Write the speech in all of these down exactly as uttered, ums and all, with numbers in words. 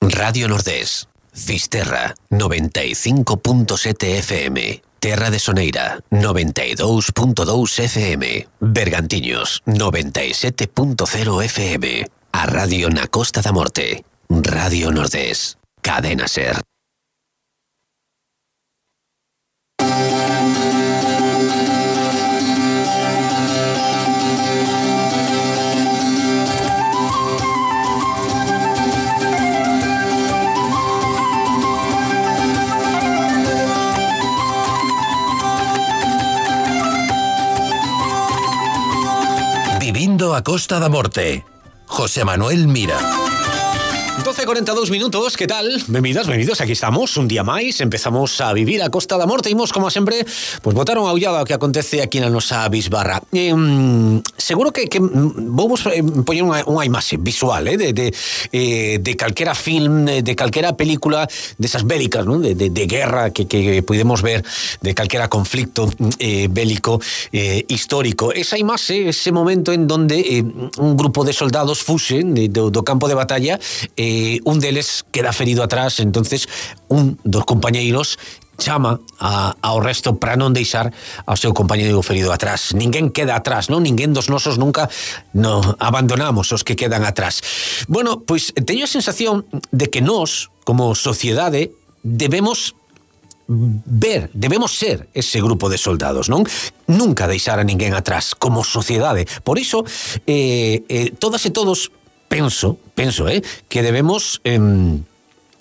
Radio Nordés, Fisterra, noventa e cinco punto sete F M, Terra de Soneira, noventa e dous punto dous F M, Bergantiños, noventa e sete punto cero F M, a radio na Costa da Morte, Radio Nordés, Cadena Ser. Vivindo a Costa da Morte, José Manuel Mira. doce e cuarenta e dous minutos, que tal? Benvidas, benvidos, aquí estamos, un día máis, empezamos a vivir a Costa da Morte, imos, como sempre, pues botar unha ollada ao que acontece aquí na nosa bisbarra. Eh, seguro que, que vamos eh, poñer unha, unha imaxe visual, eh, de, de, eh, de calquera film, de calquera película desas bélicas, ¿no? de, de, de guerra que, que podemos ver, de calquera conflicto eh, bélico eh, histórico. Esa imaxe, ese momento en donde eh, un grupo de soldados fuxen de, do, do campo de batalla, eh, un deles queda ferido atrás, entonces un dos compañeiros chama a, ao resto para non deixar ao seu compañeiro ferido atrás. Ninguén queda atrás, non? Ninguén dos nosos nunca no abandonamos os que quedan atrás. Bueno, pois teño a sensación de que nós, como sociedade, debemos ver, debemos ser ese grupo de soldados, non? Nunca deixar a ninguén atrás como sociedade. Por iso, eh, eh, todas e todos penso, penso, eh, que debemos eh,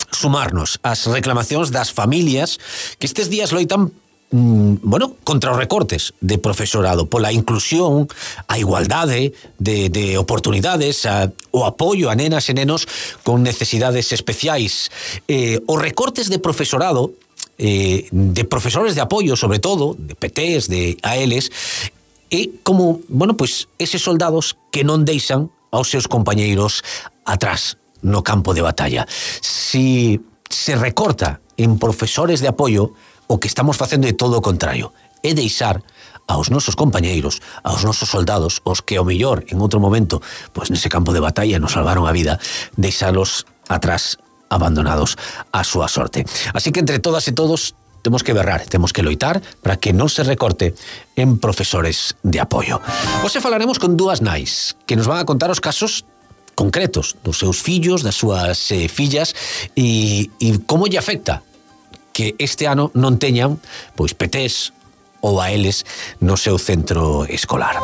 sumarnos ás reclamacións das familias que estes días loitan mm, bueno, contra os recortes de profesorado, pola inclusión, a igualdade de, de oportunidades, a, o apoio a nenas e nenos con necesidades especiais. Eh, os recortes de profesorado, eh, de profesores de apoio, sobre todo, de P Ts, de A Ls, e como, bueno, pois eses soldados que non deixan aos seus compañeiros atrás no campo de batalla. Si se recorta en profesores de apoio, o que estamos facendo é todo o contrario, é deixar aos nosos compañeiros, aos nosos soldados, os que ao mellor en outro momento, pois nese campo de batalla nos salvaron a vida, deixalos atrás abandonados á súa sorte. Así que entre todas e todos temos que berrar, temos que loitar para que non se recorte en profesores de apoio. Hoxe falaremos con dúas nais que nos van a contar os casos concretos dos seus fillos, das súas eh, fillas e, e como lle afecta que este ano non teñan pois P Ts ou A Ls no seu centro escolar.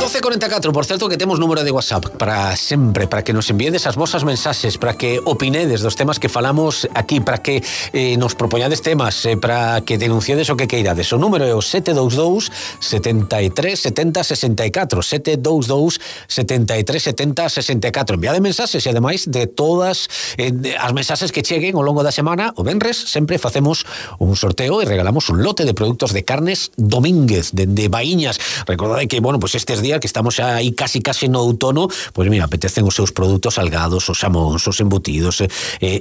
doce e cuarenta e catro, por certo que temos número de WhatsApp para sempre, para que nos enviades as vosas mensaxes, para que opinedes dos temas que falamos aquí, para que eh, nos propoñades temas, eh, para que denunciades o que queirades. O número é o sete dous dous, setenta e tres, setenta, sesenta e catro, sete dous dous, setenta e tres, setenta, sesenta e catro. Enviade mensaxes e ademais de todas eh, as mensaxes que cheguen ao longo da semana, o venres sempre facemos un sorteo e regalamos un lote de produtos de carnes Domínguez, de, de Baíñas. Recordade que, bueno, pues estes días que estamos aí casi casi no outono, pois mira, apetecen os seus produtos salgados, os xamóns, os embutidos, eh,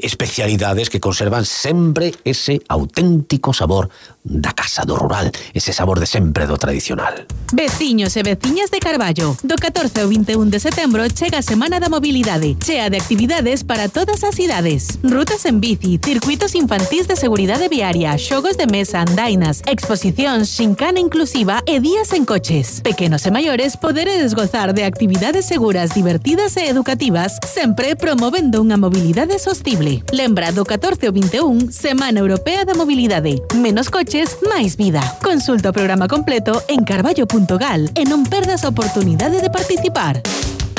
especialidades que conservan sempre ese auténtico sabor da casa, do rural, ese sabor de sempre do tradicional. Veciños e veciñas de Carballo, do catorce ao vinte e un de setembro chega a Semana da Mobilidade, chea de actividades para todas as idades. Rutas en bici, circuitos infantís de seguridade viaria, xogos de mesa, andainas, exposicións, xincana inclusiva e días en coches. Pequenos e maiores poderedes gozar de actividades seguras, divertidas e educativas, sempre promovendo unha mobilidade sostible. Lembra do catorce ao vinte e un, Semana Europea da Mobilidade. Menos coches, máis vida. Consulta o programa completo en carballo punto gal e non perdas a oportunidade de participar.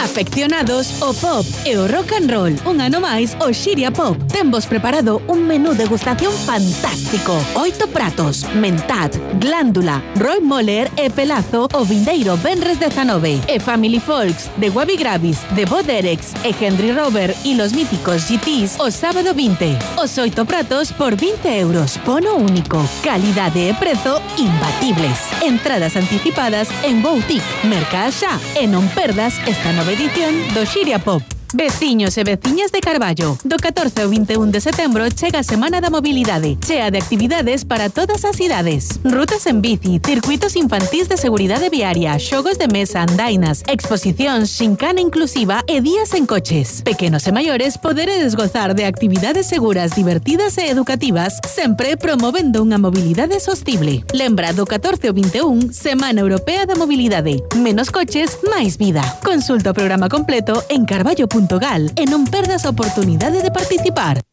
Afeccionados ao pop e ao rock and roll, un ano máis o Xiria Pop. Tenvos preparado un menú degustación fantástico. Oito pratos, mentad, glándula, Roy Moller e pelazo o vindeiro venres dezanove. E Family Folks, de Wabi Gravis, de Bo Derex e Henry Rover y los míticos G Ts o sábado vinte. Os oito pratos por vinte euros. Bono único. Calidade e prezo imbatibles. Entradas anticipadas en Boutique, Merca xa. E non perdas esta nova edición do Xiria Pop. Veciños e veciñas de Carballo, do catorce ao vinte e un de setembro chega a Semana da Mobilidade, chea de actividades para todas as idades. Rutas en bici, circuitos infantís de seguridade viaria, xogos de mesa, andainas, exposicións, xincana inclusiva e días en coches. Pequenos e maiores poderedes gozar de actividades seguras, divertidas e educativas, sempre promovendo unha mobilidade sostible. Lembra, do catorce ao vinte e un, Semana Europea da Mobilidade. Menos coches, máis vida. Consulta o programa completo en carballo punto gal e non perdas a oportunidade de participar.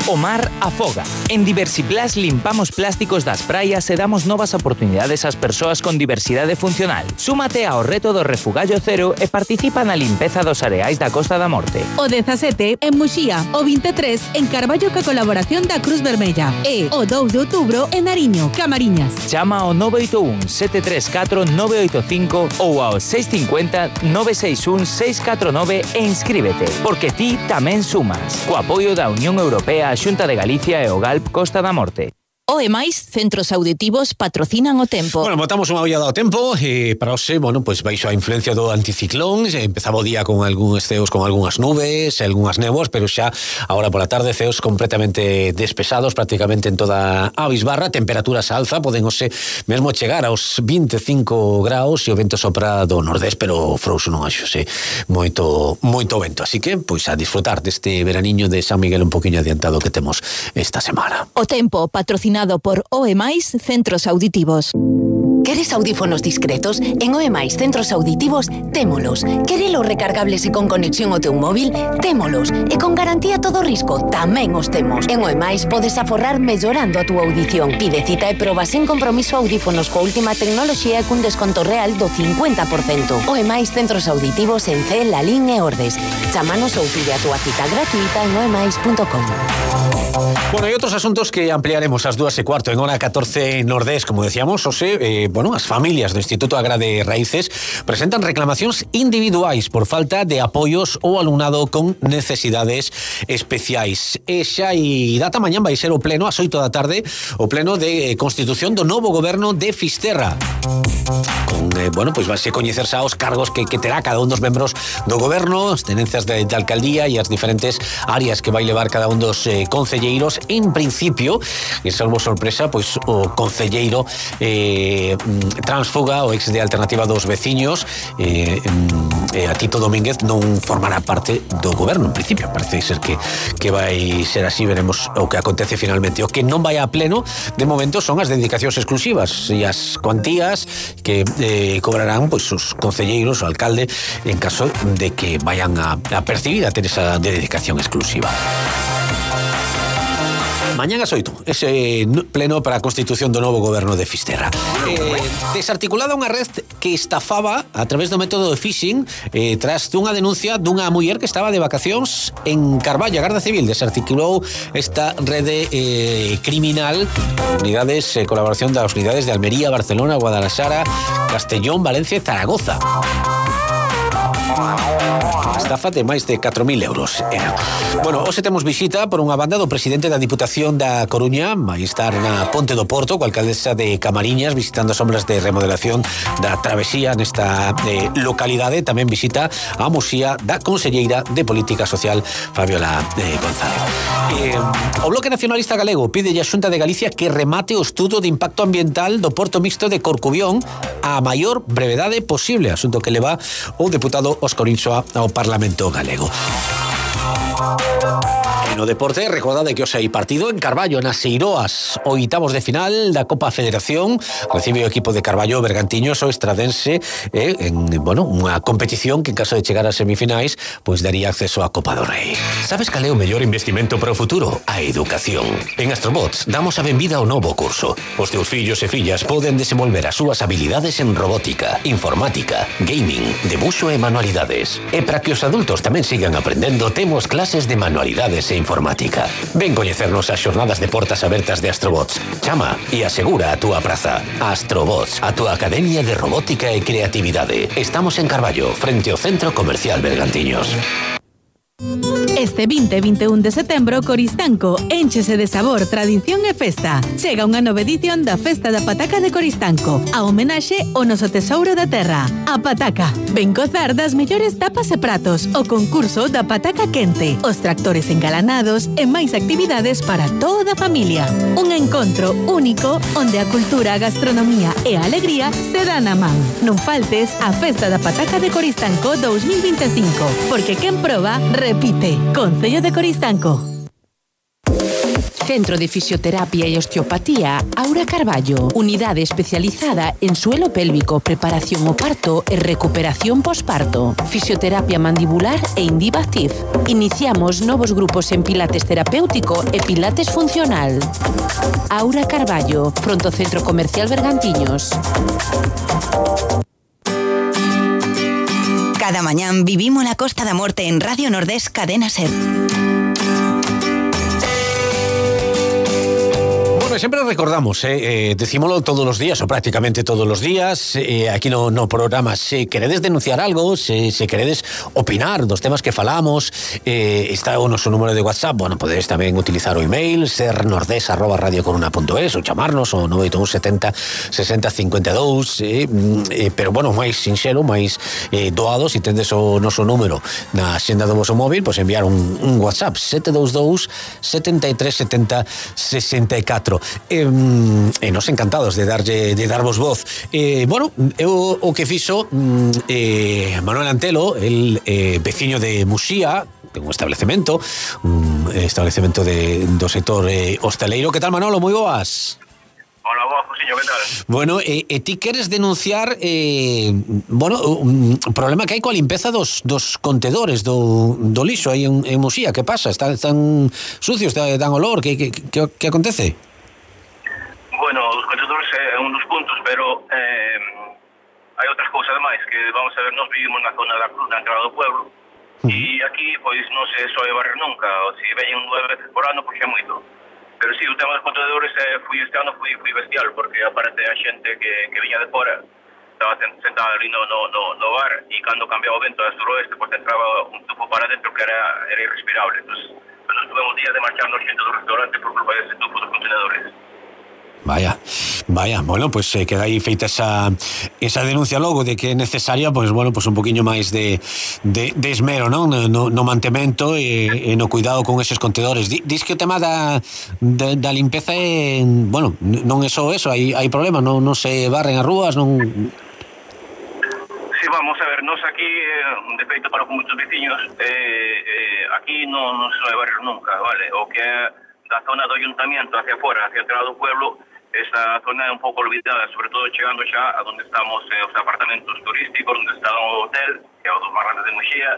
O mar afoga. En Diversiplas limpamos plásticos das praias e damos novas oportunidades ás persoas con diversidade funcional. Súmate ao reto do refugallo cero e participa na limpeza dos areais da Costa da Morte. O dezasete en Muxía, o vinte e tres en Carballo ca colaboración da Cruz Vermella e o dous de outubro en Nariño, Camariñas. Chama ao nove oito un sete tres catro nove oito cinco ou ao seis cinco cero nove seis un seis catro nove e inscríbete, porque ti tamén sumas. Co apoio da Unión Europea, a Xunta de Galicia e o Galp Costa da Morte. O e máis centros auditivos patrocinan o tempo. Bueno, botamos unha ollada ao tempo e para hoxe, bueno, pois baixo a influencia do anticiclón, empezaba o día con algúns ceos con algunhas nubes, algunhas néboas, pero xa agora pola tarde ceos completamente despesados prácticamente en toda a bisbarra, temperaturas alza, poden hoxe mesmo chegar aos vinte e cinco graus e o vento sopra do nordés, pero frouxo non axose moito moito vento, así que pois a disfrutar deste veraniño de San Miguel un poquinho adiantado que temos esta semana. O tempo patrocinado por O E máis Centros Auditivos. Queres audífonos discretos? En O E máis Centros Auditivos témolos. Querelos recargables e con conexión ao teu móvil? Témolos. E con garantía todo risco? Tamén os temos. En O E máis podes aforrar mellorando a túa audición. Pide cita e proba sen compromiso audífonos coa última tecnoloxía e cun desconto real do cincuenta por cento. O E máis Centros Auditivos en C, Lalín e Ordes. Chámanos ou pide a túa cita gratuita en o e máis punto com. Bueno, hai outros asuntos que ampliaremos ás dúas e cuarto en hora catorce Nordés, como decíamos, Ose, eh, bueno, as familias do Instituto Agrade Raíces presentan reclamacións individuais por falta de apoios ao alumnado con necesidades especiais. E xa e data mañán vai ser o pleno ás oito da tarde, o pleno de constitución do novo goberno de Fisterra. Con, eh, bueno, pois vanse coñecer xa os cargos que, que terá cada un dos membros do goberno, as tenencias de, de alcaldía e as diferentes áreas que vai levar cada un dos eh, concelleiros. En principio, e salvo sorpresa, pois o concelleiro eh, Transfuga, o ex de Alternativa dos Veciños, eh, eh, a Tito Domínguez non formará parte do goberno, en principio. Parece ser que, que vai ser así, veremos o que acontece finalmente. O que non vai a pleno, de momento, son as dedicacións exclusivas e as cuantías que eh, cobrarán pois, os concelleiros, o alcalde, en caso de que vayan a, a percibir a ter esa dedicación exclusiva. Mañán ás oito, ese pleno para a constitución do novo goberno de Fisterra. Eh, desarticulada unha red que estafaba a través do método de phishing eh, tras dunha denuncia dunha muller que estaba de vacacións en Carballo. A Garda Civil desarticulou esta rede eh, criminal, unidades, eh, colaboración das unidades de Almería, Barcelona, Guadalajara, Castellón, Valencia e Zaragoza. Estafa de máis de catro mil euros. Era. Bueno, hoxe temos visita por unha banda do presidente da Diputación da Coruña, vai estar na Ponte do Porto, coa alcaldesa de Camariñas, visitando as obras de remodelación da travesía nesta eh, localidade. Tamén visita a Muxía da conselleira de Política Social, Fabiola eh, González. Eh, o Bloque Nacionalista Galego pide a Xunta de Galicia que remate o estudo de impacto ambiental do Porto Mixto de Corcubión a maior brevedade posible, asunto que leva o deputado Óscar Insua ao Parlamento Galego. No deporte, recordade que hoxe hai partido en Carballo, nas Eiroas, oitavos de final da Copa Federación. Recibe o equipo de Carballo Bergantiños o Estradense eh, en, bueno, unha competición que en caso de chegar ás semifinais pois daría acceso á Copa do Rei. Sabes cal é o mellor investimento para o futuro? A educación. En Astrobots damos a benvida ao novo curso. Os teus fillos e fillas poden desenvolver as súas habilidades en robótica, informática, gaming, debuxo e manualidades. E para que os adultos tamén sigan aprendendo, temos clases de manualidades e informática. Ven coñecernos as xornadas de portas abertas de Astrobots. Chama e asegura a túa praza. Astrobots, a túa academia de robótica e creatividade. Estamos en Carballo, frente ao Centro Comercial Bergantiños. Este Este vinte e vinte e un de setembro, Coristanco énchese de sabor, tradición e festa. Chega unha nova edición da Festa da Pataca de Coristanco, a homenaxe ao noso tesouro da terra, a pataca. Ven gozar das mellores tapas e pratos, o concurso da pataca quente, os tractores engalanados e máis actividades para toda a familia. Un encontro único onde a cultura, a gastronomía e a alegría se dan a man. Non faltes a Festa da Pataca de Coristanco dous mil vinte e cinco, porque quen proba, repite. Concello de Coristanco. Centro de Fisioterapia y Osteopatía Aura Carballo. Unidade especializada en suelo pélvico, preparación o parto e recuperación posparto. Fisioterapia mandibular e Indiva Active. Iniciamos novos grupos en pilates terapéutico e pilates funcional. Aura Carballo, fronte ao Centro Comercial Bergantiños. Cada mañán vivimos la Costa da Morte en Radio Nordés Cadena Ser. Siempre recordamos, eh, eh, decímoslo todos los días, o prácticamente todos los días, eh, aquí no, no programas, se queredes denunciar algo, se, se queredes opinar dos temas que falamos, eh, está o noso número de WhatsApp, bueno, podedes tamén utilizar o email, sernordes arroba radiocoruna punto es, ou chamarnos o nove oito un setenta sesenta cincuenta e dous, eh, eh, pero bueno, máis sinxelo, máis eh, doado, se tendes o noso número na xenda do vosso móvil, pois enviar un, un WhatsApp sete dous dous setenta e tres setenta sesenta e catro. Eh, e nos encantados de darlle de darvos voz. Eh, bueno, eu o que fixo eh, Manuel Antelo, el eh, veciño de Muxía, un establecemento, un establecemento de, do sector eh, hosteleiro. Que tal, Manolo? Moi boas. Hola, boas, Josiño, que tal? Bueno, e, e ti queres denunciar eh, bueno, un problema que hai coa limpeza dos, dos contedores do, do lixo aí en, en Muxía. Que pasa? Están, están sucios, dan olor? Que, que, que, que acontece? Bueno, os contedores é un dos puntos, pero eh, hai outras cousas máis que, vamos a ver, nós vivimos na zona da Cruz, na entrada do pueblo, uh-huh. E aquí, pois, non se soe barrer nunca, ou se veñen nueve veces por ano, pois é moito. Pero sí, o tema dos contedores eh, fui este ano, fui, fui bestial, porque aparte a xente que, que viña de fora, estaba sentada ali no, no, no, no bar, e cando cambiaba o vento a suroeste, pois entraba un tubo para dentro que era, era irrespirable. Entón, pues, nos tuvemos días de marcharnos xente do restaurante por culpa dese tubo dos contenedores. Vaya, vaya, bueno, pues se eh, queda aí feita esa, esa denuncia logo de que é necesaria, pues bueno, pues un poquinho máis de, de, de esmero, non? No, no mantemento e, e no cuidado con eses contedores. Dis que o tema da, da, da limpeza é, bueno, non é só eso, hai, hai problemas, non, non se barren as rúas, non... Sí, vamos a ver, nos aquí, eh, de feito para con moitos veciños, eh, eh, aquí non, non se vai barrer nunca, vale? O que é da zona do ayuntamiento hacia fora, hacia a entrada do pueblo, esa zona é un pouco olvidada, sobre todo chegando xa a donde estamos eh, os apartamentos turísticos, onde está o hotel, que é o dos máis grandes de Muxía,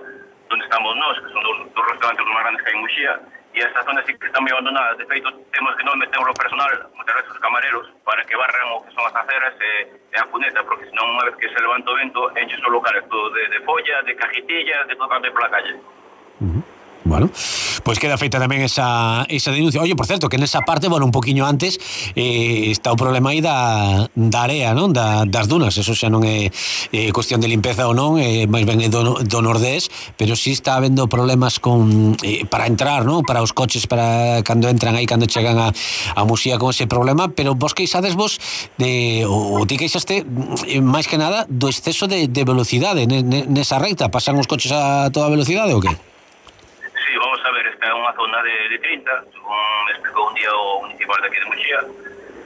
donde estamos nós, que son dos, dos restaurantes máis grandes que hai en Muxía, e esa zona sí que está moi abandonada. De feito, temos que non metemos o personal, muchas veces os camareros, para que barran o que son as aceras e, e a cuneta, porque senón unha vez que se levanta o vento, enche os locales todo de, de folla, de cajitillas, de todo canto pola calle. Uh-huh. Bueno, pois queda feita tamén esa, esa denuncia. Oye, por certo, que nesa parte, bueno, un poquinho antes eh, está o problema aí da, da area, non? Da, das dunas. Eso xa non é eh, cuestión de limpeza ou non, eh, máis ben é do, do Nordés, pero sí está habendo problemas con eh, para entrar, non? Para os coches, para cando entran aí, cando chegan a, a Muxía con ese problema, pero vos queixades vos de, ou, ou ti queixaste eh, máis que nada do exceso de, de velocidade nesa recta. Pasan os coches a toda velocidade ou que? Sí, vamos a ver, esta é unha zona de, de trinta, según me explicou un día o municipal de aquí de Muxía,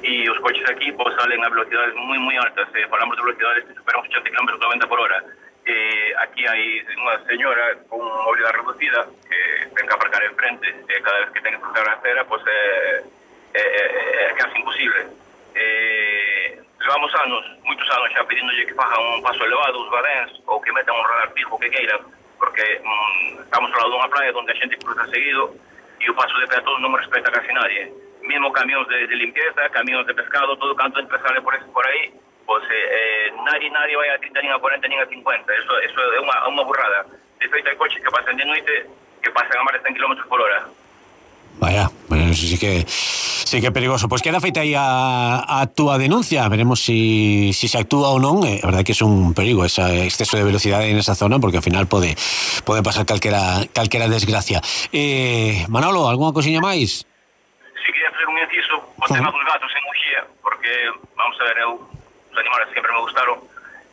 e os coches aquí pues, salen a velocidades moi moi altas, eh, falamos de velocidades que superan ochenta kilómetros noventa por hora. Eh, aquí hai unha señora con movilidade reducida que ten que aparcar enfrente, eh, cada vez que ten que cruzar a acera, pues, é eh, eh, eh, casi imposible. Eh, levamos anos, moitos anos xa pedíndolle que fagan un paso elevado, os badéns, ou que metan un radar fijo que queiran, porque mm, estamos ao lado dunha praia onde a xente cruza seguido e o paso de peatón non respeta casi nadie. Mesmo camións de, de limpieza, camións de pescado, todo canto entre sale por, por aí, pues eh, nadie, nadie vai a trinta, nin a cuarenta, nin a cincuenta. Eso, eso é unha, unha burrada. De feito, hai coches que pasan de noite que pasan a máis de cen kilómetros por hora. Vaya, bueno, sí que sí que é perigoso. Pois queda feita aí a, a túa denuncia. Veremos si, si se actúa ou non. É eh, verdade que é un perigo ese exceso de velocidade en esa zona, porque ao final pode pode pasar calquera, calquera desgracia. Eh, Manolo, algunha cosiña máis? Si quería facer un inciso o tema dos gatos en Muxía, porque, vamos a ver, eu, os animales sempre me gustaron.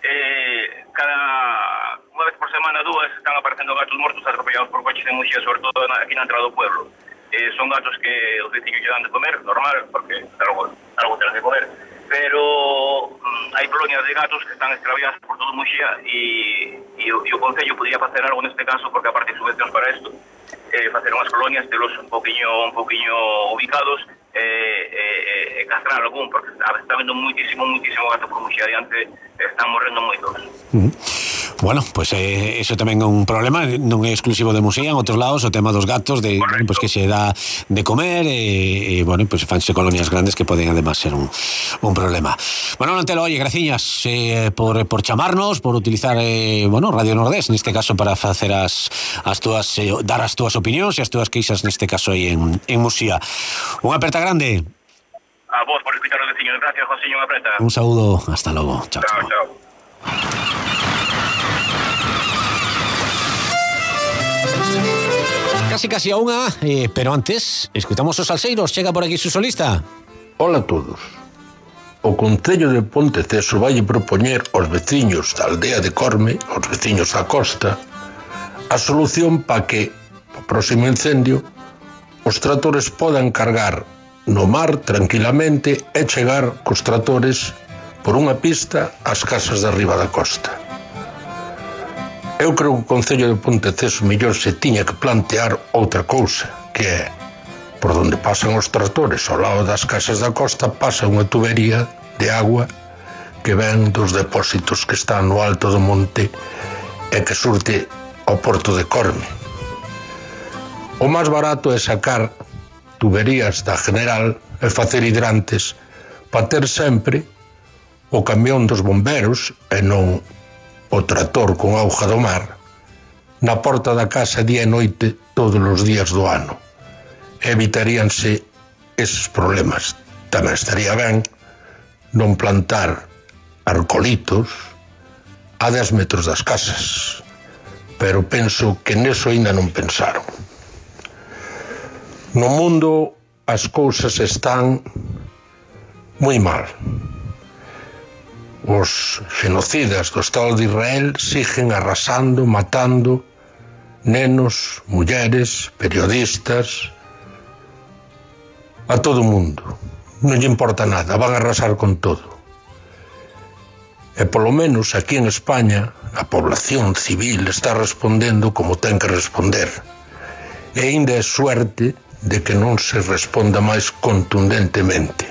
Eh, cada unha vez por semana, dúas, están aparecendo gatos mortos atropellados por coches en Muxía, sobre todo aquí na entrada do pueblo. Eh, son gatos que os veciños lle dan de comer, normal, porque algo, algo tenen de comer, pero mm, hai colonias de gatos que están extraviadas por todo Muxía e, e, e o Concello podría facer algo neste caso, porque aparte de subvencións para isto, eh, facer unhas colonias, telos un poquinho, un poquinho ubicados, e eh, eh, castrar algún, porque está vendo muitísimo, muitísimo gato por Muxía adiante, están morrendo moitos. Uh-huh. Bueno, pois pues, eh, eso tamén é un problema, non é exclusivo de Muxía, en outros lados o tema dos gatos, de bueno, pues que se dá de comer e, e bueno, pues fanse colonias grandes que poden además ser un, un problema. Bueno, Antelo, oye, graciñas eh, por, por chamarnos, por utilizar eh, bueno, Radio Nordés, neste caso para facer as, as túas, eh, dar as túas opinións e as túas queixas neste caso aí en, en Muxía. Unha aperta grande. A vos por escuchar os veciños. Gracias, Josiño, unha aperta. Un saúdo, hasta logo. Chao, chao. chao. chao. Casi casi a unha, eh, pero antes escutamos os salseiros. Chega por aquí su solista. Hola a todos. O Concello de Ponteceso vai propoñer aos veciños da aldea de Corme, aos veciños da costa, a solución para que, o próximo incendio, os tractores podan cargar no mar tranquilamente e chegar cos tractores por unha pista ás casas de arriba da costa. Eu creo que o Concello de Ponteceso mellor se tiña que plantear outra cousa, que é, por onde pasan os tractores ao lado das casas da costa, pasa unha tubería de agua que ven dos depósitos que están no alto do monte e que surte ao porto de Corme. O máis barato é sacar tuberías da General e facer hidrantes para ter sempre o camión dos bomberos e non o tractor con auga do mar na porta da casa día e noite todos os días do ano. Evitaríanse eses problemas. Tamén estaría ben non plantar arcolitos a dez metros das casas, pero penso que neso ainda non pensaron. No mundo as cousas están moi mal. Os genocidas do Estado de Israel siguen arrasando, matando nenos, mulleres, periodistas, a todo o mundo. Non lle importa nada, van a arrasar con todo. E polo menos aquí en España a población civil está respondendo como ten que responder. E ainda é suerte de que non se responda máis contundentemente.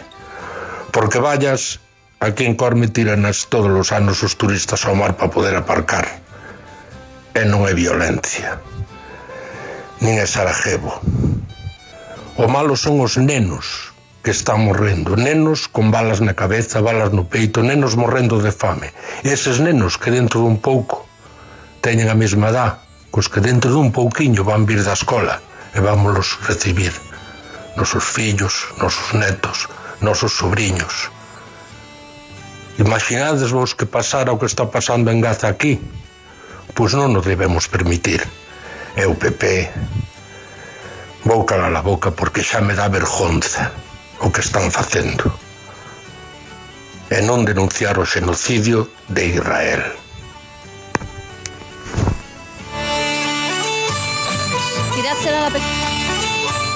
Porque vallas, aquí en Corme tiranas todos os anos os turistas ao mar para poder aparcar. E non é violencia. Nin é Sarajevo. O malo son os nenos que están morrendo. Nenos con balas na cabeza, balas no peito, nenos morrendo de fame. E eses nenos que dentro dun pouco teñen a mesma edad, cos que dentro dun pouquiño van vir da escola e vámonos recibir. Nosos fillos, nosos netos, nosos sobrinhos. Imaginades vos que pasara o que está pasando en Gaza aquí? Pois non nos debemos permitir. E o P P vou calar a boca porque xa me dá vergonza o que están facendo. E non denunciar o xenocidio de Israel. Tirad será la pe-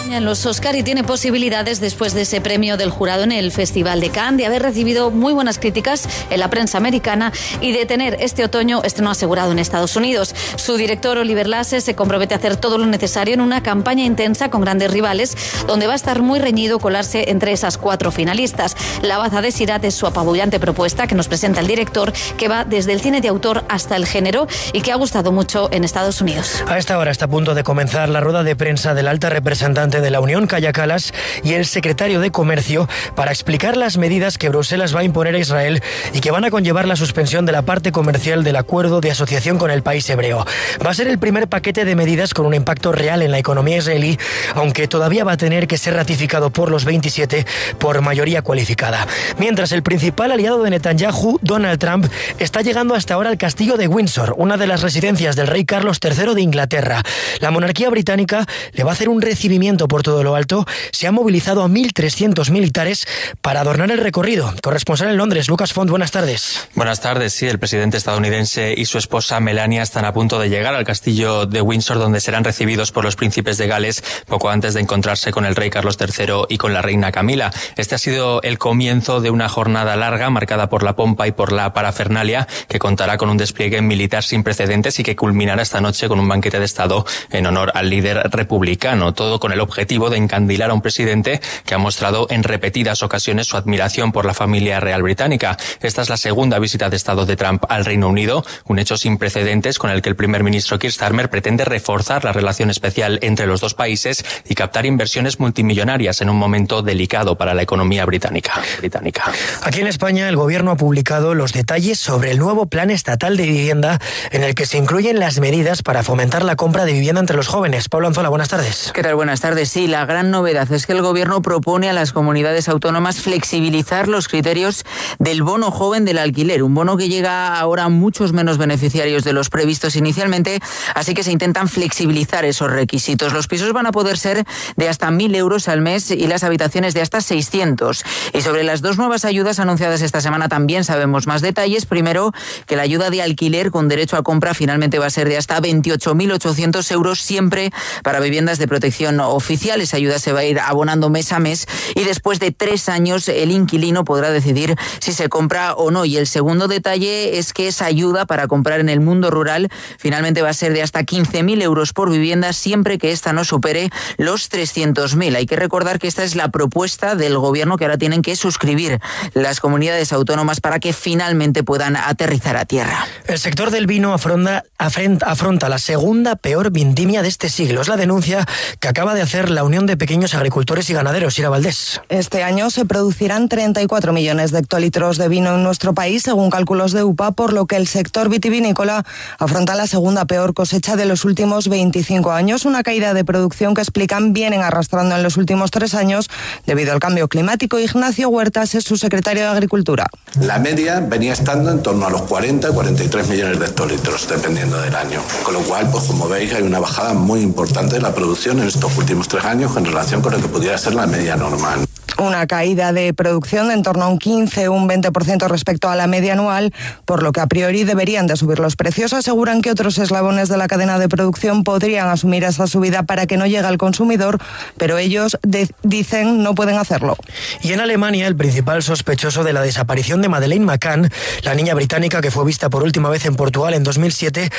en los Oscar y tiene posibilidades después de ese premio del jurado en el Festival de Cannes, de haber recibido muy buenas críticas en la prensa americana y de tener este otoño estreno asegurado en Estados Unidos. Su director Oliver Lasse se compromete a hacer todo lo necesario en una campaña intensa con grandes rivales, donde va a estar muy reñido colarse entre esas cuatro finalistas. La baza de Sirat es su apabullante propuesta que nos presenta el director, que va desde el cine de autor hasta el género y que ha gustado mucho en Estados Unidos. A esta hora está a punto de comenzar la rueda de prensa del alta representante vicepresidente de la Unión, Kaja Kallas, y el secretario de Comercio para explicar las medidas que Bruselas va a imponer a Israel y que van a conllevar la suspensión de la parte comercial del acuerdo de asociación con el país hebreo. Va a ser el primer paquete de medidas con un impacto real en la economía israelí, aunque todavía va a tener que ser ratificado por los veintisiete por mayoría cualificada. Mientras, el principal aliado de Netanyahu, Donald Trump, está llegando hasta ahora al castillo de Windsor, una de las residencias del rey Carlos tercero de Inglaterra. La monarquía británica le va a hacer un recibimiento por todo lo alto. Se han movilizado a mil trescientos militares para adornar el recorrido. Corresponsal en Londres, Lucas Font, buenas tardes. Buenas tardes. Sí, el presidente estadounidense y su esposa Melania están a punto de llegar al castillo de Windsor, donde serán recibidos por los príncipes de Gales poco antes de encontrarse con el rey Carlos tercero y con la reina Camila. Este ha sido el comienzo de una jornada larga marcada por la pompa y por la parafernalia, que contará con un despliegue militar sin precedentes y que culminará esta noche con un banquete de Estado en honor al líder republicano. Todo con el objetivo de encandilar a un presidente que ha mostrado en repetidas ocasiones su admiración por la familia real británica. Esta es la segunda visita de Estado de Trump al Reino Unido, un hecho sin precedentes con el que el primer ministro Keir Starmer pretende reforzar la relación especial entre los dos países y captar inversiones multimillonarias en un momento delicado para la economía británica. británica. Aquí en España, el Gobierno ha publicado los detalles sobre el nuevo Plan Estatal de Vivienda, en el que se incluyen las medidas para fomentar la compra de vivienda entre los jóvenes. Pablo Anzola, buenas tardes. ¿Qué tal? Buenas tardes. Sí, la gran novedad es que el Gobierno propone a las comunidades autónomas flexibilizar los criterios del bono joven del alquiler, un bono que llega ahora a muchos menos beneficiarios de los previstos inicialmente, así que se intentan flexibilizar esos requisitos. Los pisos van a poder ser de hasta mil euros al mes y las habitaciones de hasta seiscientos. Y sobre las dos nuevas ayudas anunciadas esta semana también sabemos más detalles. Primero, que la ayuda de alquiler con derecho a compra finalmente va a ser de hasta veintiocho mil ochocientos euros, siempre para viviendas de protección oficial. Esa ayuda se va a ir abonando mes a mes y después de tres años el inquilino podrá decidir si se compra o no. Y el segundo detalle es que esa ayuda para comprar en el mundo rural finalmente va a ser de hasta quince mil euros por vivienda, siempre que esta no supere los trescientos mil. Hay que recordar que esta es la propuesta del Gobierno que ahora tienen que suscribir las comunidades autónomas para que finalmente puedan aterrizar a tierra. El sector del vino afronta, afronta la segunda peor vendimia de este siglo. Es la denuncia que acaba de hacer la Unión de Pequeños Agricultores y Ganaderos, Ira Valdés. Este año se producirán treinta y cuatro millones de hectolitros de vino en nuestro país, según cálculos de U P A, por lo que el sector vitivinícola afronta la segunda peor cosecha de los últimos veinticinco años, una caída de producción que explican vienen arrastrando en los últimos tres años debido al cambio climático. Ignacio Huertas es su secretario de Agricultura. La media venía estando en torno a los cuarenta a cuarenta y tres millones de hectolitros, dependiendo del año. Con lo cual, pues como veis, hay una bajada muy importante de la producción en estos últimos tres años en relación con lo que pudiera ser la media normal. Una caída de producción de en torno a un quince o un veinte por ciento respecto a la media anual, por lo que a priori deberían de subir los precios. Aseguran que otros eslabones de la cadena de producción podrían asumir esa subida para que no llegue al consumidor, pero ellos de- dicen no pueden hacerlo. Y en Alemania, el principal sospechoso de la desaparición de Madeleine McCann, la niña británica que fue vista por última vez en Portugal en dos mil siete,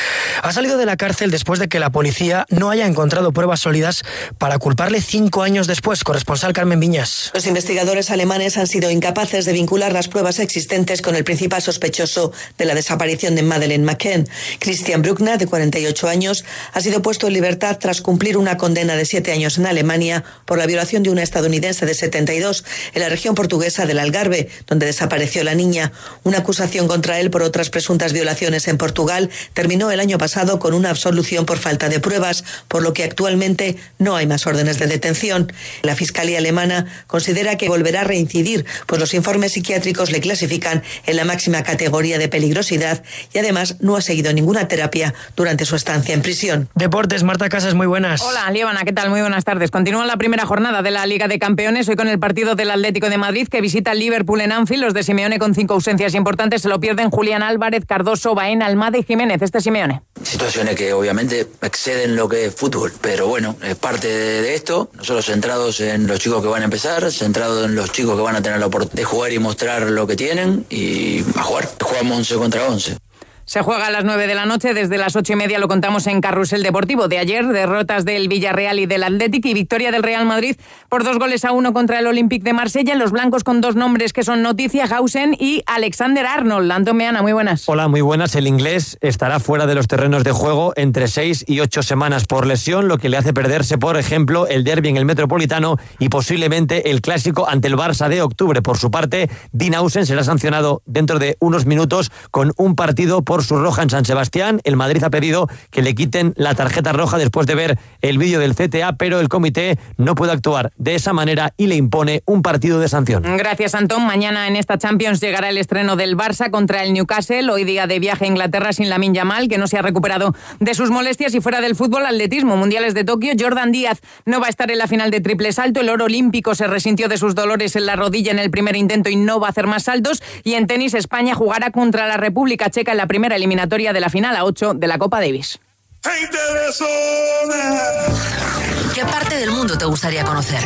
ha salido de la cárcel después de que la policía no haya encontrado pruebas sólidas para culparle cinco años después. Corresponsal Carmen Viñas. Los investigadores alemanes han sido incapaces de vincular las pruebas existentes con el principal sospechoso de la desaparición de Madeleine McCann. Christian Bruckner, de cuarenta y ocho años, ha sido puesto en libertad tras cumplir una condena de siete años en Alemania por la violación de una estadounidense de setenta y dos en la región portuguesa del Algarve, donde desapareció la niña. Una acusación contra él por otras presuntas violaciones en Portugal terminó el año pasado con una absolución por falta de pruebas, por lo que actualmente no hay más órdenes de detención. La Fiscalía alemana considera que volverá a reincidir, pues los informes psiquiátricos le clasifican en la máxima categoría de peligrosidad y además no ha seguido ninguna terapia durante su estancia en prisión. Deportes, Marta Casas, muy buenas. Hola, Líbana, ¿qué tal? Muy buenas tardes. Continúa la primera jornada de la Liga de Campeones, hoy con el partido del Atlético de Madrid que visita al Liverpool en Anfield. Los de Simeone con cinco ausencias importantes se lo pierden Julián Álvarez, Cardoso, Baena, Almada y Jiménez. Este Simeone. Situaciones que obviamente exceden lo que es fútbol, pero bueno, es parte de esto. Nosotros centrados en los chicos que van a empezar, centrados en los chicos que van a tener la oportunidad de jugar y mostrar lo que tienen y a jugar. Jugamos once contra once. Se juega a las nueve de la noche, desde las ocho y media lo contamos en Carrusel Deportivo. De ayer, derrotas del Villarreal y del Athletic y victoria del Real Madrid por dos goles a uno contra el Olympique de Marsella. Los blancos con dos nombres que son noticia, Hausen y Alexander Arnold. Antón Meana, muy buenas. Hola, muy buenas. El inglés estará fuera de los terrenos de juego entre seis y ocho semanas por lesión, lo que le hace perderse, por ejemplo, el derbi en el Metropolitano y posiblemente el clásico ante el Barça de octubre. Por su parte, Dean Hausen será sancionado dentro de unos minutos con un partido por su roja en San Sebastián. El Madrid ha pedido que le quiten la tarjeta roja después de ver el vídeo del C T A, pero el comité no puede actuar de esa manera y le impone un partido de sanción. Gracias, Antón. Mañana en esta Champions llegará el estreno del Barça contra el Newcastle. Hoy día de viaje a Inglaterra sin Lamine Yamal, que no se ha recuperado de sus molestias. Y fuera del fútbol, atletismo, mundiales de Tokio. Jordan Díaz no va a estar en la final de triple salto. El oro olímpico se resintió de sus dolores en la rodilla en el primer intento y no va a hacer más saltos. Y en tenis, España jugará contra la República Checa en la primera eliminatoria de la final a ocho de la Copa Davis. ¿Qué parte del mundo te gustaría conocer?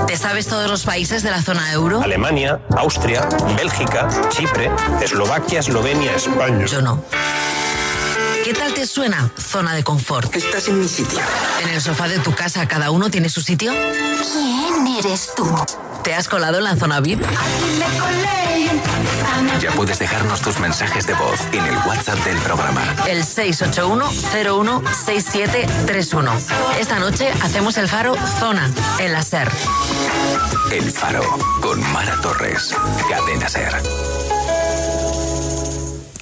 ¿Te sabes todos los países de la zona euro? Alemania, Austria, Bélgica, Chipre, Eslovaquia, Eslovenia, España. Yo no. ¿Qué tal te suena zona de confort? Estás en mi sitio. ¿En el sofá de tu casa cada uno tiene su sitio? ¿Quién eres tú? ¿Te has colado en la zona V I P? Ya puedes dejarnos tus mensajes de voz en el WhatsApp del programa. El seis ocho uno cero uno seis siete tres uno. Esta noche hacemos el Faro Zona, en la SER. El Faro, con Mara Torres. Cadena SER.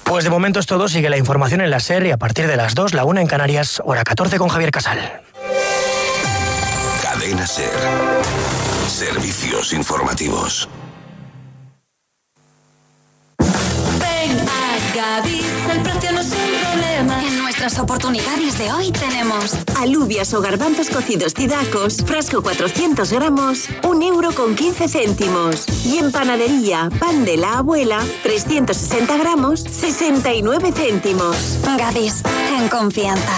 Pues de momento es todo. Sigue la información en la SER y a partir de las dos, la una en Canarias, hora catorce con Javier Casal. Cadena SER. Servicios informativos. Gadis, el precio no es un problema. En nuestras oportunidades de hoy tenemos alubias o garbanzos cocidos Cidacos, frasco cuatrocientos gramos, un euro con quince céntimos. Y en panadería, pan de la abuela, trescientos sesenta gramos, sesenta y nueve céntimos. Gadis, en confianza.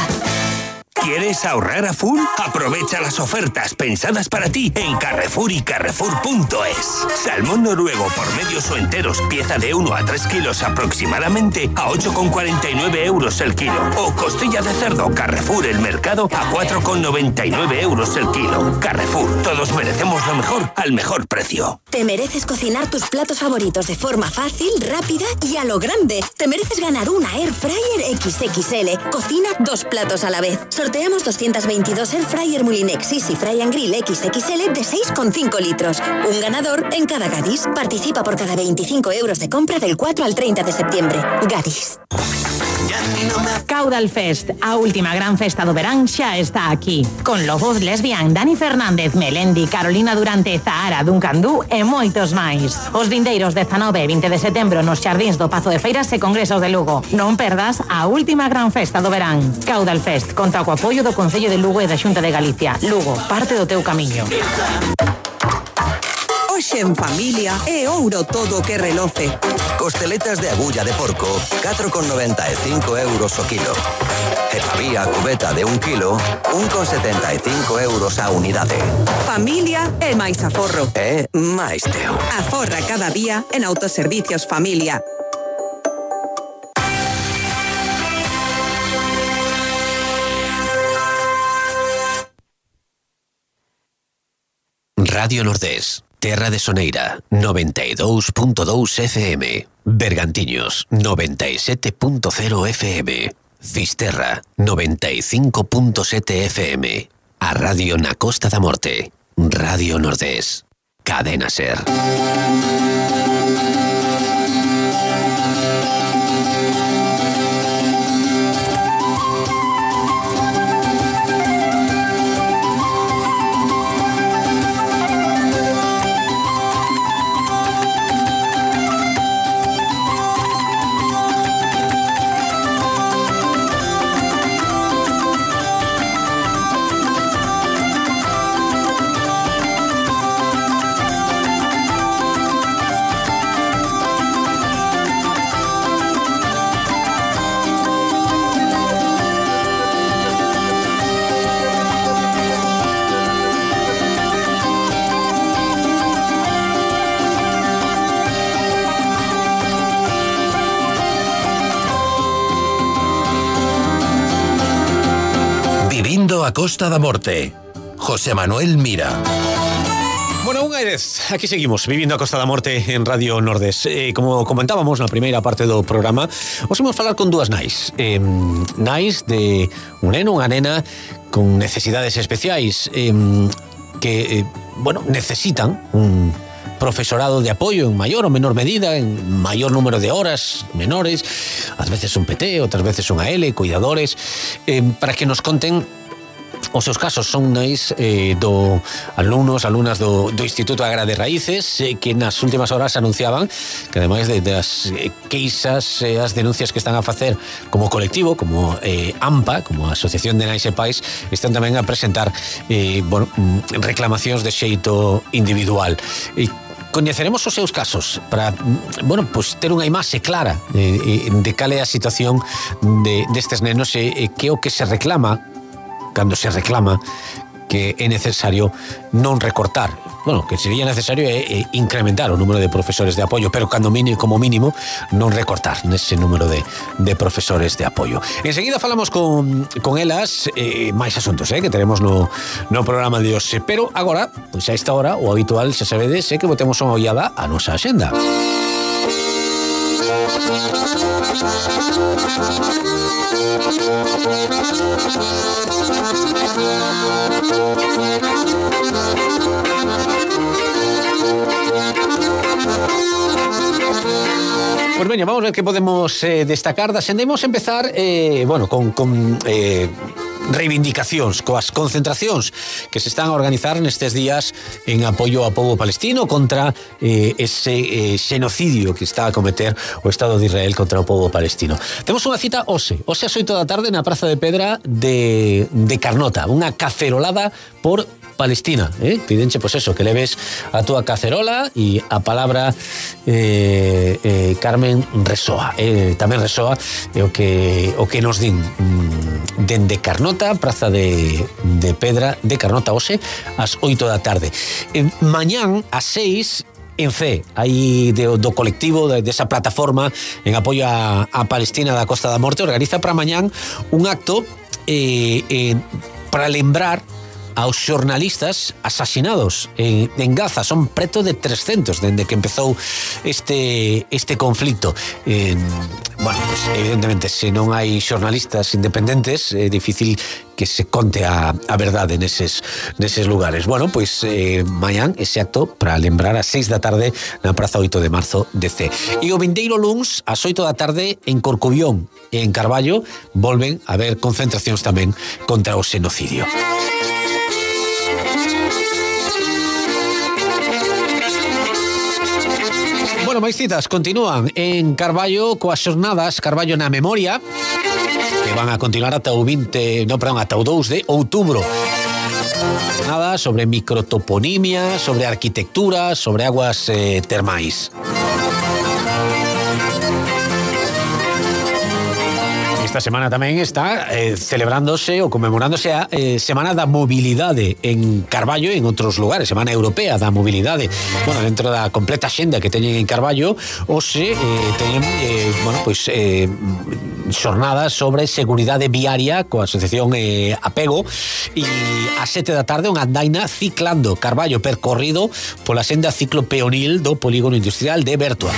¿Quieres ahorrar a full? Aprovecha las ofertas pensadas para ti en Carrefour y Carrefour punto es. Salmón noruego por medios o enteros, pieza de uno a tres kilos aproximadamente, a ocho con cuarenta y nueve euros el kilo. O costilla de cerdo Carrefour El Mercado a cuatro con noventa y nueve euros el kilo. Carrefour, todos merecemos lo mejor al mejor precio. Te mereces cocinar tus platos favoritos de forma fácil, rápida y a lo grande. Te mereces ganar una Air Fryer equis equis ele. Cocina dos platos a la vez. Sorteamos doscientos veintidós Air Fryer Mulinex Easy Fry and Grill equis equis ele de seis coma cinco litros. Un ganador en cada Gadis. Participa por cada veinticinco euros de compra del cuatro al treinta de septiembre. Gadis. Caudal Fest, a última gran festa do verán xa está aquí. Con Lobos Lesbian, Dani Fernández, Melendi, Carolina Durante, Zahara, Duncan Du e moitos máis. Os vindeiros dezanove e vinte de setembro nos xardíns do Pazo de Feiras e Congresos de Lugo. Non perdas a última gran festa do verán. Caudal Fest, conta co apoio do Concello de Lugo e da Xunta de Galicia. Lugo, parte do teu camiño. Hoxe en familia é ouro todo que reloce. Costeletas de agulla de porco, catro con noventa e cinco euros o kilo. E pavía cubeta de un kilo, un con setenta e cinco euros a unidade. Familia é máis aforro. É máis teu. Aforra cada día en Autoservicios Familia. Radio Nordés, Terra de Soneira, noventa e dous punto dous F M. Bergantiños, noventa e sete punto cero F M. Fisterra, noventa e cinco punto sete F M. A Radio na Costa da Morte. Radio Nordés. Cadena SER. Vivindo a Costa da Morte. José Manuel Mira. Bueno, unha vez, aquí seguimos, vivindo a Costa da Morte en Radio Nordés. Eh, como comentábamos na primeira parte do programa, os imos falar con dúas nais. Eh, nais de un neno, unha nena con necesidades especiais eh, que, eh, bueno, necesitan un profesorado de apoio en maior ou menor medida, en maior número de horas menores, ás veces un P T, outras veces un A L, cuidadores, eh, para que nos conten os seus casos. Son nais eh, do alumnos, alumnas do, do Instituto Agra de Raíces eh, que nas últimas horas anunciaban que ademais de, das eh, queixas e eh, as denuncias que están a facer como colectivo, como eh, AMPA, como Asociación de Nais e Pais, están tamén a presentar eh, bueno, reclamacións de xeito individual. E coñeceremos os seus casos para, bueno, pues ter unha imaxe clara de, de cal é a situación de, destes nenos e, e que o que se reclama cando se reclama que é necesario non recortar. Bueno, que sería necesario é, é incrementar o número de profesores de apoio, pero cando mínimo, como mínimo non recortar nese número de, de profesores de apoio. Enseguida falamos con, con elas eh, máis asuntos eh, que teremos no, no programa de hoxe, pero agora, pois a esta hora, o habitual, xa sabedes, é que botemos unha ollada a nosa axenda. Pues veña, vamos a ver que podemos eh, destacar da xenda. Imos empezar eh, bueno, con, con eh, reivindicacións, coas concentracións que se están a organizar nestes días en apoio ao pobo palestino contra eh, ese eh, xenocidio que está a cometer o Estado de Israel contra o pobo palestino. Temos unha cita hoxe, hoxe ás oito da tarde na Praza de Pedra de, de Carnota, unha cacerolada por Palestina, eh? Pidenche, pois pues eso, que leves a túa cacerola e a palabra eh, eh, Carmen resoa, eh, tamén resoa eh, o que o que nos din mm, dende Carnota, Praza de, de Pedra de Carnota hoxe ás oito da tarde. Eh, mañán ás seis en Fe, aí do, do colectivo de, desa plataforma en apoio a, a Palestina da Costa da Morte, organiza para mañán un acto eh, eh, para lembrar aos xornalistas asasinados en, en Gaza. Son preto de trescentos dende que empezou este, este conflicto. Eh, bueno, pues, evidentemente, se non hai xornalistas independentes, é difícil que se conte a, a verdade neses, neses lugares. Bueno, pois pues, eh, mañán ese acto para lembrar ás seis da tarde na Praza oito de Marzo de C. E o vindeiro luns, ás oito da tarde, en Corcubión e en Carballo, volven a haber concentracións tamén contra o xenocidio. Bueno, máis citas continúan en Carballo coas xornadas Carballo na Memoria, que van a continuar ata o vinte, no, perdón, ata o dous de outubro. Nada sobre microtoponimia, sobre arquitectura, sobre aguas eh, termais. Esta semana tamén está eh, celebrándose ou conmemorándose a eh, Semana da Mobilidade en Carballo e en outros lugares, Semana Europea da Mobilidade. Bueno, dentro da completa xenda que teñen en Carballo, hoxe eh, teñen eh, bueno, pois, eh, xornadas sobre seguridade viaria coa Asociación eh, Apego, e a sete da tarde unha andaina ciclando Carballo percorrido pola senda ciclo peonil do Polígono Industrial de Bertua.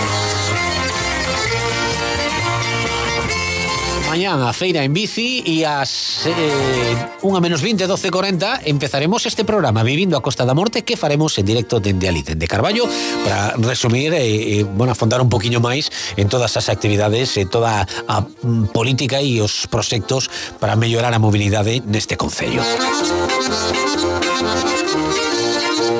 Mañán a feira en bici e ás eh, unha menos vinte, doce cuarenta empezaremos este programa Vivindo a Costa da Morte, que faremos en directo dende ali, dende Carballo, para resumir e eh, bueno, afondar un poquinho máis en todas as actividades e toda a mm, política e os proxectos para mellorar a mobilidade neste concello.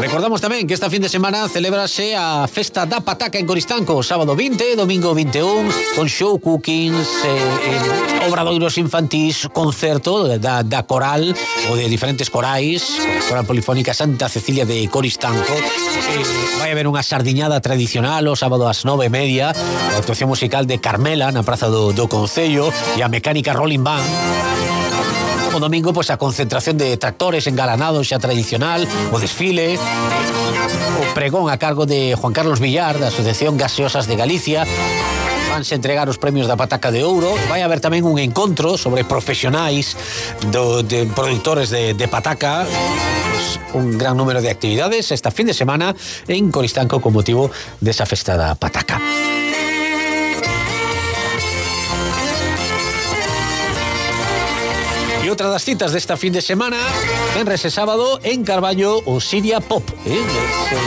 Recordamos tamén que esta fin de semana celebrase a Festa da Pataca en Coristanco, sábado vinte, domingo vinte e un, con show cookings, eh, eh, obradoiros infantís, concerto da, da coral ou de diferentes corais, Coral Polifónica Santa Cecilia de Coristanco. Eh, vai haber unha sardiñada tradicional o sábado ás nove e media, a actuación musical de Carmela na Praza do, do Concello e a mecánica Rolling Band. O domingo, pois, a concentración de tractores engalanados xa tradicional, o desfile, o pregón a cargo de Juan Carlos Villar, da Asociación Gaseosas de Galicia. Van vanse entregar os premios da Pataca de Ouro. Vai haber tamén un encontro sobre profesionais do, de produtores de, de pataca. Pues un gran número de actividades esta fin de semana en Coristanco con motivo desa festa da pataca. E outra das citas desta fin de semana, venres e sábado en Carballo o Siria Pop, eh? Ese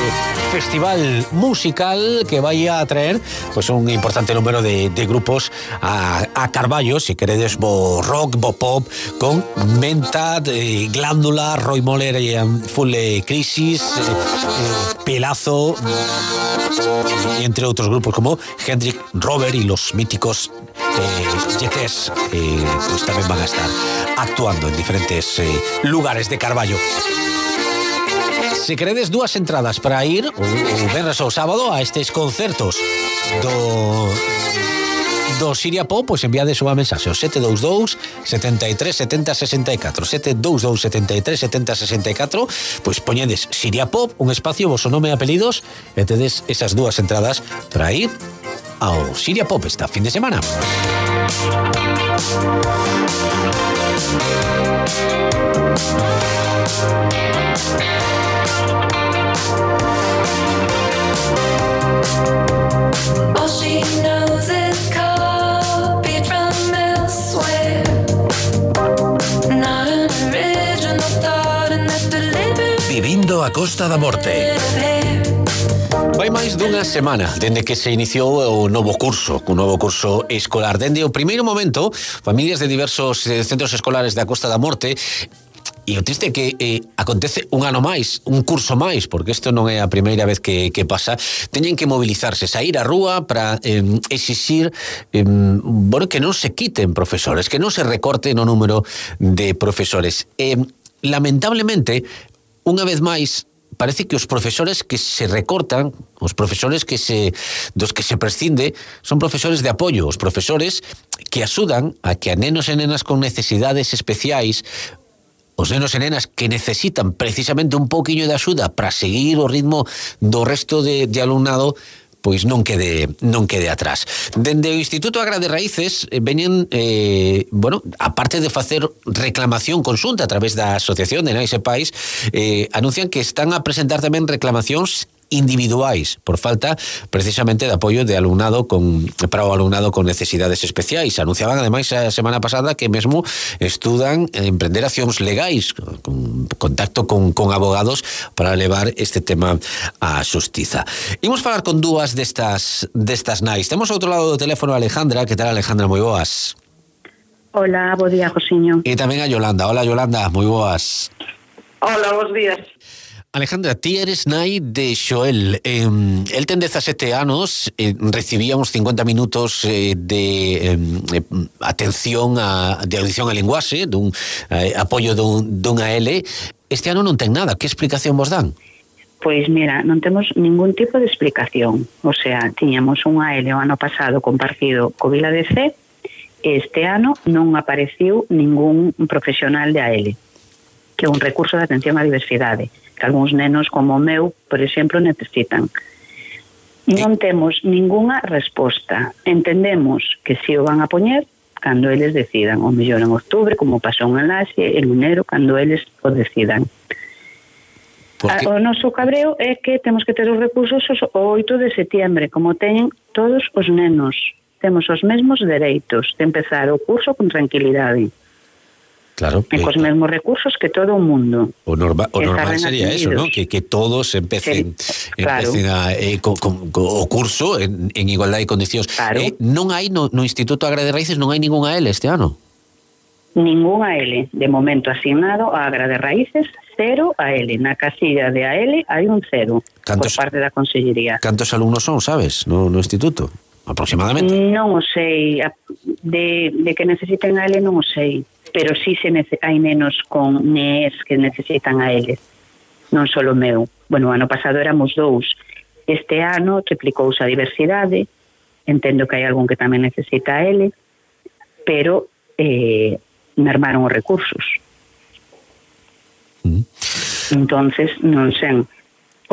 festival musical que vai a traer pues, un importante número de, de grupos a, a Carballo, si queredes bo rock, bo pop, con Menta, eh, Glándula, Roy Moller e Full Crisis, eh, eh, Pelazo, y entre outros grupos como Hendrik Robert y los míticos eh, Yetes, eh, pues tamén van a estar actuando en diferentes eh, lugares de Carballo. Se queredes dúas entradas para ir o, o venres ao sábado a estes concertos do do Siria Pop, pois enviades unha mensaxe ao sete dous dous, sete tres, sete zero, seis catro, sete dous dous, sete tres, sete zero, seis catro, pois poñedes Siria Pop, un espacio, voso nome e apelidos, e tedes esas dúas entradas para ir ao Siria Pop esta fin de semana. All she knows is copied from elsewhere. Not an original thought and that delivered. Vivindo a Costa da Morte. Vai máis dunha semana dende que se iniciou o novo curso, o novo curso escolar. Dende o primeiro momento, familias de diversos centros escolares da Costa da Morte. E o triste é que eh, acontece un ano máis, un curso máis, porque isto non é a primeira vez que, que pasa, teñen que mobilizarse, saír á rúa para eh, exixir eh, bueno, que non se quiten profesores, que non se recorte no número de profesores. Eh, lamentablemente, unha vez máis, parece que os profesores que se recortan, os profesores que se dos que se prescinde, son profesores de apoio, os profesores que axudan a que a nenos e nenas con necesidades especiais, os nenos e nenas que necesitan precisamente un pouquiño de axuda para seguir o ritmo do resto de, de alumnado, pois non quede non quede atrás. Dende o Instituto Agra de Raíces eh, veñen, eh, bueno, aparte de facer reclamación conxunta a través da Asociación de Nais e Pais, eh, anuncian que están a presentar tamén reclamacións individuais por falta precisamente de apoio de alumnado con, para o alumnado con necesidades especiais. Anunciaban ademais a semana pasada que mesmo estudan emprender accións legais con contacto con, con abogados para levar este tema á xustiza. Imos falar con dúas destas destas nais. Temos ao outro lado do teléfono a Alejandra. Que tal, Alejandra? Moi boas. Hola, bo día, Josiño. E tamén a Yolanda. Hola, Yolanda, moi boas. Hola, bos días. Alejandra, ti eres nai de Xoel. Eh, el ten dezasete anos, eh, recibía uns cincuenta minutos eh, de eh, atención a, de audición a linguaxe, dun eh, apoio dun, dunha L. Este ano non ten nada. Que explicación vos dan? Pois mira, non temos ningún tipo de explicación. O sea, tiñamos unha L o ano pasado compartido co Vila de C, e este ano non apareciu ningún profesional de A L, que é un recurso de atención á diversidade, que algúns nenos como o meu, por exemplo, necesitan. Non temos ningunha resposta. Entendemos que si o van a poñer cando eles decidan, o mellor en outubro, como pasou en Laxe, en enero, cando eles o decidan. A, o noso cabreo é que temos que ter os recursos o oito de setiembre, como teñen todos os nenos. Temos os mesmos dereitos de empezar o curso con tranquilidade. Claro, e cos mesmos recursos que todo o mundo. O, norma, o normal sería eso, ¿no? Que, que todos empecen, sí, claro. empecen a, eh, con, con, con, o curso en, en igualdade de condicións. Claro. Eh, non hai no, no Instituto Agra de Raíces, non hai ninguna L este ano? Ninguna L. De momento asignado a Agra de Raíces, cero a L. Na casilla de A L hai un cero cantos, por parte da Consellería. Cantos alumnos son, sabes, no, no Instituto? Aproximadamente? Non o sei. De, de que necesiten a L non o sei. Pero sí se nece- hai nenos con N E S que necesitan a L. Non só o meu. Bueno, o ano pasado éramos dous. Este ano triplicouse a diversidade. Entendo que hai algún que tamén necesita a L, pero eh, mermaron os recursos. Mm. Entonces, non sei.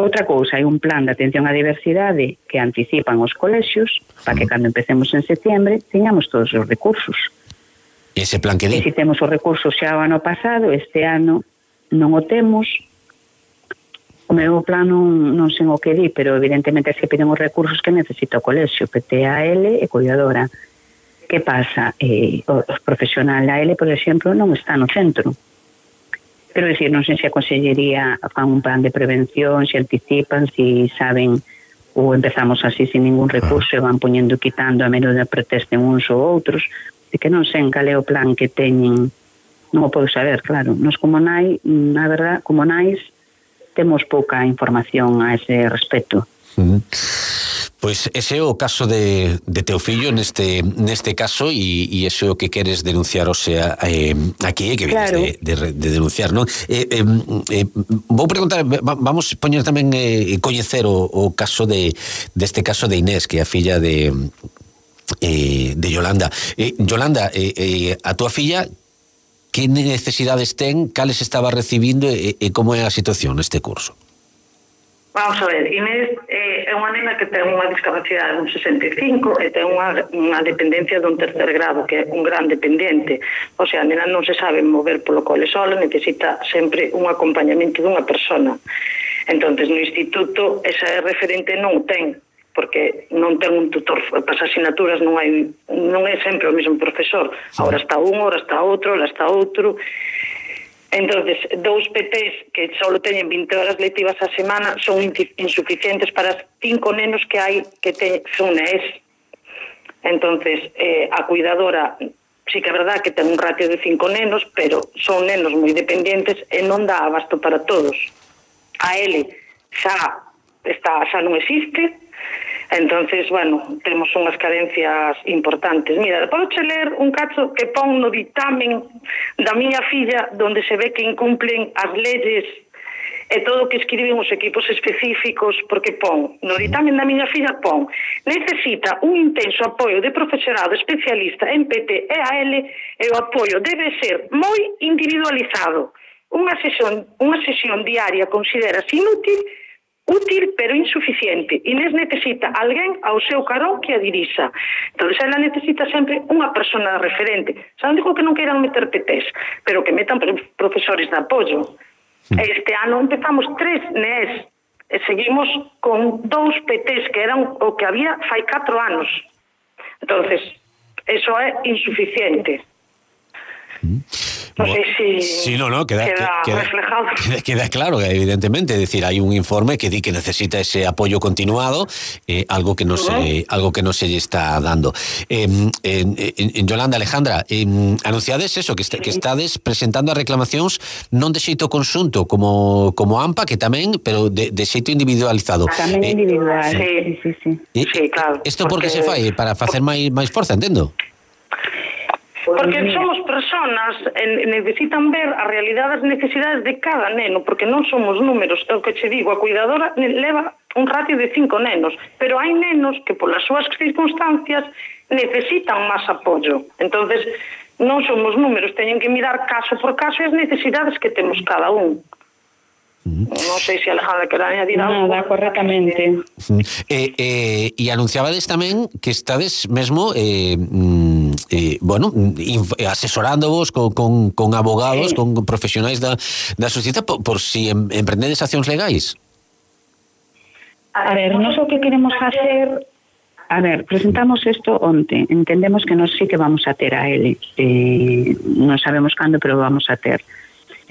Outra cousa, hai un plan de atención á diversidade que anticipan os colexios para que cando empecemos en setembro teñamos todos os recursos. Ese plan que di? E se temos os recursos xa o ano pasado, este ano non o temos. O meu plan non, non sei o que di, pero evidentemente se piden os recursos que necesita o colexio, P T A L e cuidadora. Que pasa? Eh, os profesional da L, por exemplo, non está no centro. Pero decir, non sei se a Consellería fan un plan de prevención, se anticipan, se saben ou empezamos así sin ningún recurso e van poñendo e quitando a menos de protesten uns ou outros, de que non sei cal é o plan que teñen, non o podo saber, claro. Nos como nai, na verdad, como nais, temos pouca información a ese respecto. Uh-huh. Pois ese é o caso de, de teu fillo neste, neste caso e, e ese é o que queres denunciar, o sea, eh, aquí, que vienes claro. de, de, de denunciar, non? Eh, eh, eh, vou preguntar, vamos poñer tamén eh, coñecer o, o caso de deste caso de Inés, que é a filla de eh, de Yolanda. Eh, Yolanda, eh, eh, a tua filla, que necesidades ten, cales estaba recibindo e, e como é a situación neste curso? Vamos a ver, Inés eh, é unha nena que ten unha discapacidade dun sesenta e cinco e ten unha, unha dependencia dun tercer grado, que é un gran dependiente. O sea, a nena non se sabe mover polo cole sola, necesita sempre un acompañamento dunha persona. Entonces, no instituto, esa referente non o ten, porque non ten un tutor para as asignaturas, non hai, non é sempre o mesmo profesor. Ahora está un, ahora está outro, ahora está outro. Entonces, dous P Ts que só teñen vinte horas lectivas a semana son insuficientes para os cinco nenos que hai que te, son N E S. Entonces, eh, a cuidadora sí que é verdad que ten un ratio de cinco nenos, pero son nenos moi dependientes e non dá abasto para todos. A L xa está, xa non existe. Entonces, bueno, temos unhas carencias importantes. Mira, podo che ler un cacho que pon no dictamen da miña filla, donde se ve que incumplen as leyes e todo o que escriben os equipos específicos, porque pon, no dictamen da miña filla pon, necesita un intenso apoio de profesorado especialista en P T e A L e o apoio debe ser moi individualizado. Unha sesión, unha sesión diaria considerase inútil, útil pero insuficiente. Inés necesita alguén ao seu carón que a dirixa. Entón, ela necesita sempre unha persona referente. Xa non digo que non queiran meter P Ts, pero que metan profesores de apoio. Este ano empezamos tres N E S e seguimos con dous P Ts que eran o que había fai catro anos. Entonces, eso é insuficiente. Non sei se sí, no, no, queda, queda, queda reflejado. Queda, queda claro, evidentemente, es decir, hay un informe que di que necesita ese apoyo continuado, eh, algo que no uh-huh. se algo que no se está dando. Eh, en, en Yolanda, Alejandra, eh, anunciades eso, que, est- que estades presentando as reclamacións non de xeito conxunto como como AMPA, que tamén, pero de, de xeito individualizado. Tamén eh, individual, sí, sí, sí. Eh, sí, claro. Isto por que se fai? Para facer máis máis forza, entendo? Porque somos personas e necesitan ver a realidade das necesidades de cada neno, porque non somos números. É o que che digo, a cuidadora leva un ratio de cinco nenos, pero hai nenos que polas súas circunstancias necesitan máis apoio. Entonces, non somos números, teñen que mirar caso por caso as necesidades que temos cada un. Non sei se Alejandra quer añadir algo. Nada, correctamente. Eh, eh, e anunciabades tamén que estades mesmo eh, eh, bueno, inf- asesorándovos con, con, con abogados, sí. con profesionais da, da sociedade por, por si em, emprendedes accións legais. A ver, nós o que queremos facer, a ver, presentamos isto onte, entendemos que nós sí que vamos a ter a L, eh, non sabemos cando, pero vamos a ter.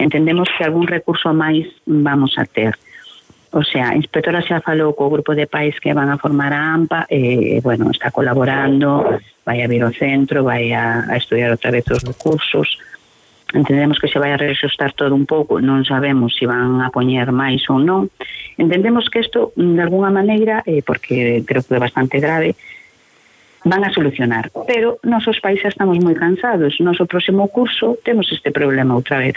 Entendemos que algún recurso máis vamos a ter. O sea, a inspectora xa falou co grupo de pais que van a formar a AMPA, e, eh, bueno, está colaborando, vai a vir ao centro, vai a, a estudiar outra vez os recursos. Entendemos que se vai a reajustar todo un pouco, non sabemos se van a poñer máis ou non. Entendemos que isto, de alguna maneira, eh, porque creo que é bastante grave, van a solucionar. Pero nosos pais xa estamos moi cansados. Noso próximo curso temos este problema outra vez.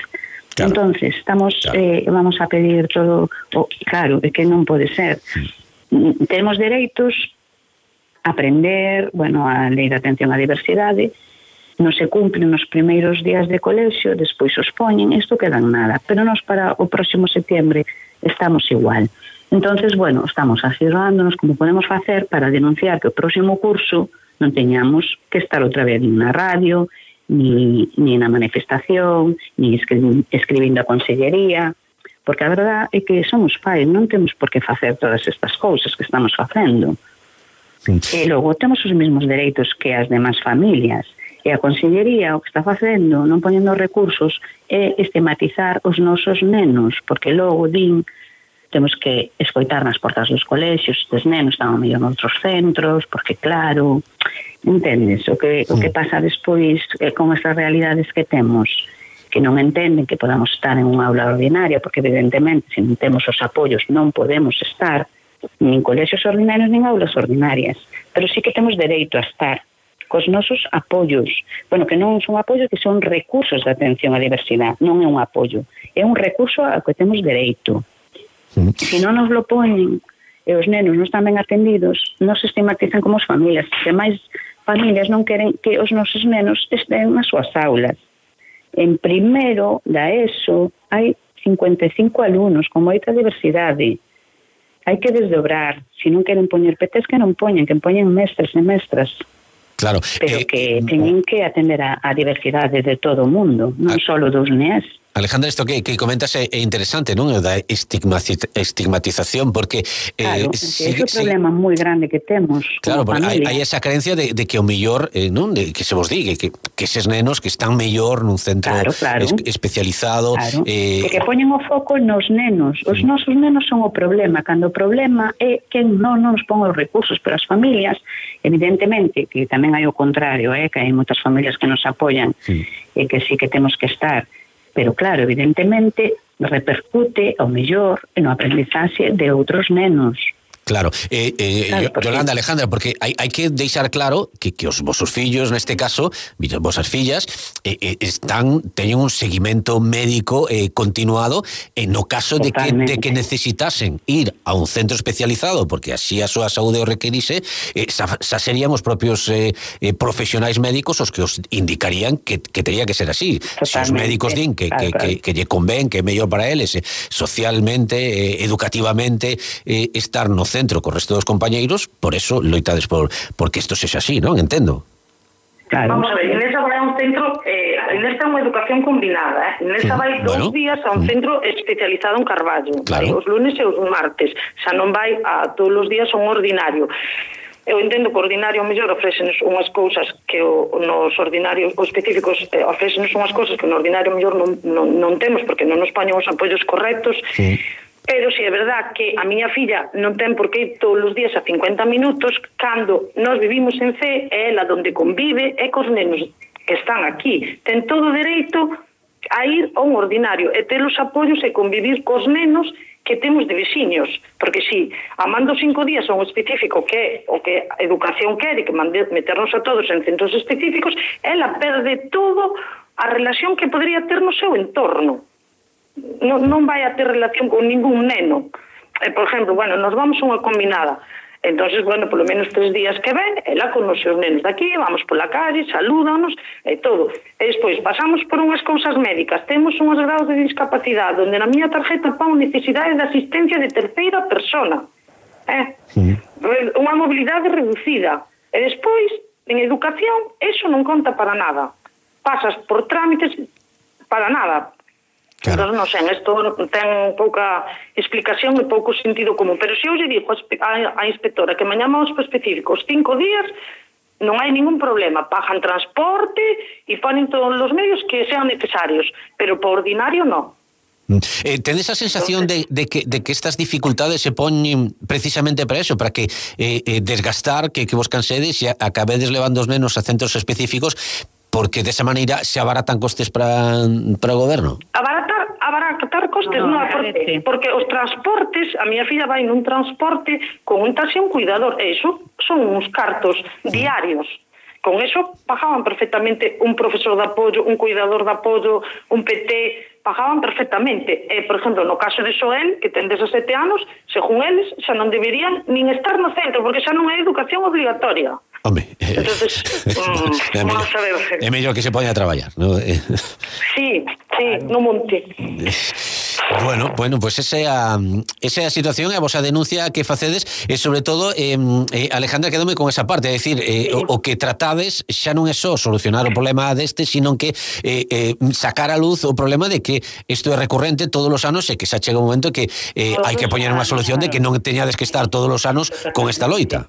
Claro. Entonces, estamos, claro. eh, vamos a pedir todo, oh, claro, é que non pode ser. Mm. Temos dereitos a aprender, bueno, a lei de atención á diversidade, non se cumplen nos primeiros días de colexio, despois os poñen, isto queda en nada, pero nos para o próximo setembro estamos igual. Entonces, bueno, estamos asesorándonos como podemos facer para denunciar que o próximo curso non teñamos que estar outra vez na radio, ni, ni na manifestación, ni escri escribindo a consellería, porque a verdade é que somos pais, non temos por que facer todas estas cousas que estamos facendo. Sí. E logo temos os mesmos dereitos que as demás familias, e a consellería o que está facendo, non poñendo recursos, é estigmatizar os nosos nenos, porque logo din temos que escoitar nas portas dos colexios, estes nenos están ao mellor noutros centros, porque claro, entendes, o que, o que pasa despois eh, con estas realidades que temos, que non entenden que podamos estar en unha aula ordinaria, porque evidentemente se non temos os apoios non podemos estar nin colexios ordinarios nin aulas ordinarias, pero sí que temos dereito a estar cos nosos apoios, bueno, que non son apoios, que son recursos de atención á diversidade, non é un apoio, é un recurso ao que temos dereito. Se non nos lo poñen e os nenos non están ben atendidos, non se estigmatizan como as familias. Se máis familias non queren que os nosos nenos estén nas súas aulas. En primeiro da ESO hai cincuenta e cinco alumnos con moita diversidade. Hai que desdobrar. Se non queren poñer P Ts, que non poñen, que poñen mestres e mestras. Claro. Pero eh, que teñen que atender a, a diversidade de todo o mundo, non só dos N E S. Alejandra, isto que, que comentas é, é interesante, non? Da estigmatización, porque... Claro, eh, sigue, é o problema moi grande que temos. Claro, porque hai, hai esa creencia de, de que o mellor, eh, non? De, que se vos diga, que, que eses nenos que están mellor nun centro claro, claro. Es, especializado... Claro. Eh, que poñen o foco nos nenos. Os sí. nosos nenos son o problema, cando o problema é que non, non nos pon os recursos, pero as familias, evidentemente, que tamén hai o contrario, eh, que hai moitas familias que nos apoian sí. e que sí que temos que estar... Pero claro, evidentemente repercute ao mellor no aprendizaxe de outros nenos. Claro, eh, eh, claro porque... Yolanda, Alejandra, porque hai, hai que deixar claro que, que os vosos fillos, neste caso, vosas fillas, eh, eh, están teñen un seguimento médico eh, continuado en no caso de que, de que necesitasen ir a un centro especializado, porque así a súa saúde o requerise, eh, xa, xa serían os propios eh, eh, profesionais médicos os que os indicarían que, que tería que ser así. Totalmente. Se os médicos din que, claro, que, claro. que, que lle convén, que é mellor para eles, eh, socialmente, eh, educativamente, eh, estar no centro co resto dos compañeiros, por eso loitades por porque isto sexa así, non? Entendo. Claro. Vamos a ver, Inés vai a un centro, eh, Inés ten unha educación combinada, eh? Inés sí. vai bueno. dous días a un centro especializado en Carballo, claro. os lunes e os martes, xa non vai a todos os días a un ordinario. Eu entendo que o ordinario mellor ofrécenos unhas cousas que o, nos ordinarios os específicos eh, ofrécenos unhas cousas que no ordinario mellor non, non, non temos, porque non nos poñen os apoios correctos. Sí. Pero si é verdad que a miña filla non ten por que ir todos os días a cincuenta minutos, cando nós vivimos en C, é ela donde convive, é cos nenos que están aquí. Ten todo o dereito a ir a un ordinario e ter os apoios e convivir cos nenos que temos de veciños. Porque si amando cinco días a un específico que é o que a educación quere, que meternos a todos en centros específicos, ela perde todo a relación que podría ter no seu entorno. Non, non vai a ter relación con ningún neno. Eh, por exemplo, bueno, nos vamos a unha combinada. Entonces, bueno, polo menos tres días que ven, ela con os seus nenos daqui, vamos pola calle, salúdanos, e todo. E despois, pasamos por unhas cousas médicas, temos unhos grados de discapacidade, onde na miña tarjeta pon necesidade de asistencia de terceira persona. Eh? Sí. Unha mobilidade reducida. E despois, en educación, eso non conta para nada. Pasas por trámites para nada. Claro. Entón, non sei, isto ten pouca explicación e pouco sentido común. Pero se eu lle digo a inspectora que mañá vamos para específicos cinco días, non hai ningún problema. Pagan transporte e ponen todos os medios que sean necesarios. Pero por ordinario, non. Eh, tedes a sensación de, de, que, de que estas dificultades se poñen precisamente para eso, para que eh, eh, desgastar, que, que vos cansedes e acabedes levando os nenos a centros específicos, porque desa maneira se abaratan costes para, para o goberno? Abaratar, abaratar costes, no, non, porque, porque os transportes, a miña filla vai nun transporte con un taxi e un cuidador, e iso son uns cartos diarios con eso pagaban perfectamente un profesor de apoio, un cuidador de apoio, un P T, pagaban perfectamente. E, por exemplo, no caso de Xoel, que ten dezasete anos, según eles, xa non deberían nin estar no centro, porque xa non é educación obligatoria. Hombre, eh, entonces, mm, é vamos a ver. É mellor que se poña a traballar, ¿no? Sí, sí, no monte. Bueno, bueno, pues esa é a, esa é a situación, e a vosa denuncia que facedes, e sobre todo, eh, eh, Alejandra, quedome con esa parte, é dicir, eh, o, o que tratades xa non é só solucionar o problema deste, sino que eh, eh, sacar a luz o problema de que isto é recurrente todos os anos e que xa chega un momento que eh, hai que poñer unha solución de que non teñades que estar todos os anos con esta loita.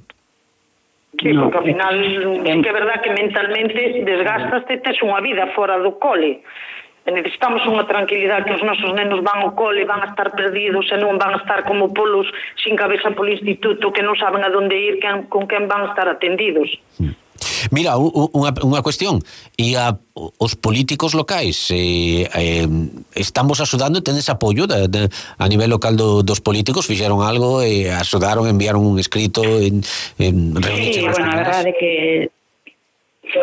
Sí, porque ao final é que é verdad que mentalmente desgastaste, tes unha vida fora do cole. E necesitamos unha tranquilidade, que os nosos nenos van ao cole, van a estar perdidos e non van a estar como polos sin cabeza polo instituto, que non saben a donde ir, quen, con quen van a estar atendidos. Mira, unha, unha cuestión, e a, os políticos locais eh, eh, están vos axudando, tenes apoio de, de, a nivel local do, dos políticos, fixeron algo e eh, axudaron, enviaron un escrito en, en sí, bueno, a verdade é que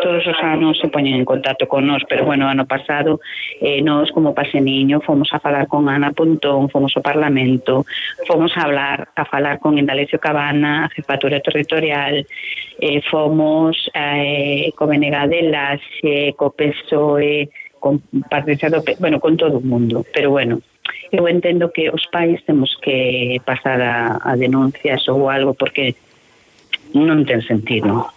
todos os anos se poñen en contacto con nós, pero bueno, ano pasado eh, nós como Paseniño fomos a falar con Ana Pontón, fomos ao Parlamento, fomos a hablar a falar con Indalecio Cabana, a Jefatura Territorial, eh, fomos eh, co B N G de Laxe, co P S O E, con Patricia López, bueno, con todo o mundo, pero bueno, eu entendo que os pais temos que pasar a, a denuncias ou algo, porque non ten sentido.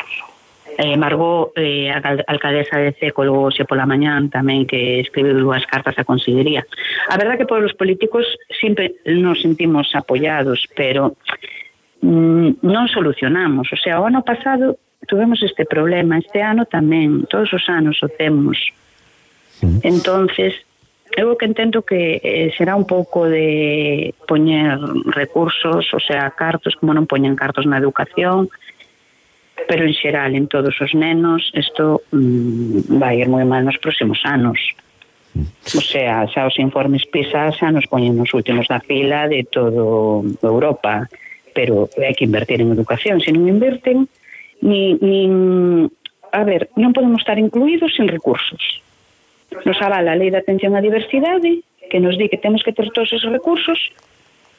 Eh, Margot, eh, alcaldesa de Ceco, logo xe pola mañán tamén, que escribiu dúas cartas á Consellería. A verdad que por os políticos sempre nos sentimos apoiados, pero mm, non solucionamos. O sea, o ano pasado tuvemos este problema, este ano tamén, todos os anos o temos. Entonces, eu que entendo que eh, será un pouco de poñer recursos, o sea, cartos, como non poñen cartos na educación, pero en xeral en todos os nenos isto mmm, vai ir moi mal nos próximos anos. O sea, xa os informes PISA xa nos poñen nos últimos da fila de todo Europa, pero hai que invertir en educación. Se non inverten, ni, ni a ver, non podemos estar incluídos sin recursos. Nos avala a Lei de Atención á Diversidade, que nos di que temos que ter todos esos recursos,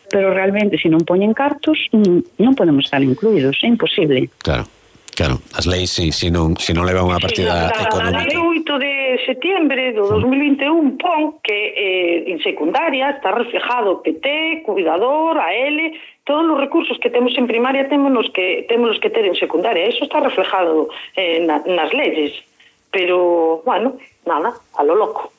pero realmente se non poñen cartos non podemos estar incluídos, é imposible. Claro. Claro, as leis, si, si non, si non levan unha partida sí, económica. A lei oito de setembro do dos mil vinte e un pon que eh, en secundaria está reflejado P T, cuidador, A L, todos os recursos que temos en primaria temos que temos que ter en secundaria. Eso está reflejado eh, na, nas leyes. Pero, bueno, nada, a lo loco.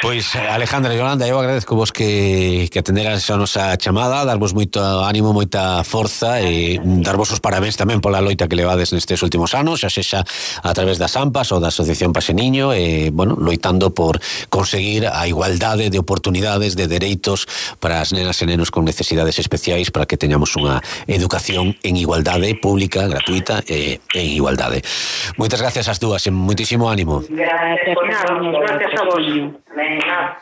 Pois, Alejandra e Yolanda, eu agradezco vos que, que atenderas a nosa chamada, darvos moito ánimo, moita forza e darvos os parabéns tamén pola loita que levades nestes últimos anos, xa sexa a través das AMPAs ou da Asociación Paseniño, e, bueno, loitando por conseguir a igualdade de oportunidades, de dereitos para as nenas e nenos con necesidades especiais, para que teñamos unha educación en igualdade, pública, gratuita e en igualdade. Moitas gracias ás dúas e moitísimo ánimo. Gracias, gracias a vos. Venga.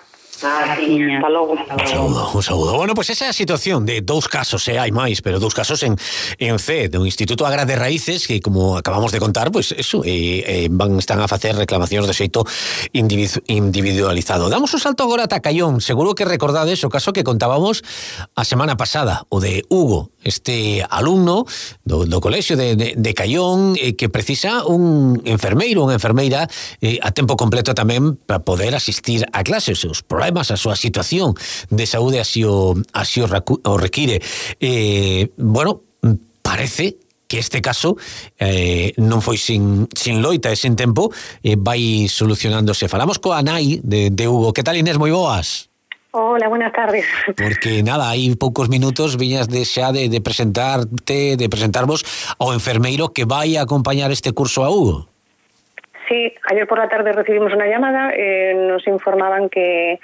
Ah, hasta logo. Un saúdo, un saúdo. Bueno, pois pues esa é a situación de dous casos, e hai máis, pero dous casos en, en C, do Instituto Agra de Raíces, que como acabamos de contar, pois pues eso, eh, eh, van, están a facer reclamacións de xeito individualizado. Damos un salto agora a Tacayón. Seguro que recordades o caso que contábamos a semana pasada, o de Hugo, este alumno do, do colexio de, de, de Cayón, eh, que precisa un enfermeiro, unha enfermeira eh, a tempo completo tamén para poder asistir a clases. Os problemas, a súa situación de saúde así o, así o, recu, o require. Eh, bueno, parece que este caso eh, non foi sin, sin loita e sin tempo, eh, vai solucionándose. Falamos coa nai de, de Hugo. Que tal, Inés? Moi boas. Hola, buenas tardes. Porque nada, hai poucos minutos viñas de xa de, de presentarte, de presentarvos ao enfermeiro que vai a acompañar este curso a Hugo. Sí, ayer por la tarde recibimos una llamada, eh, nos informaban que,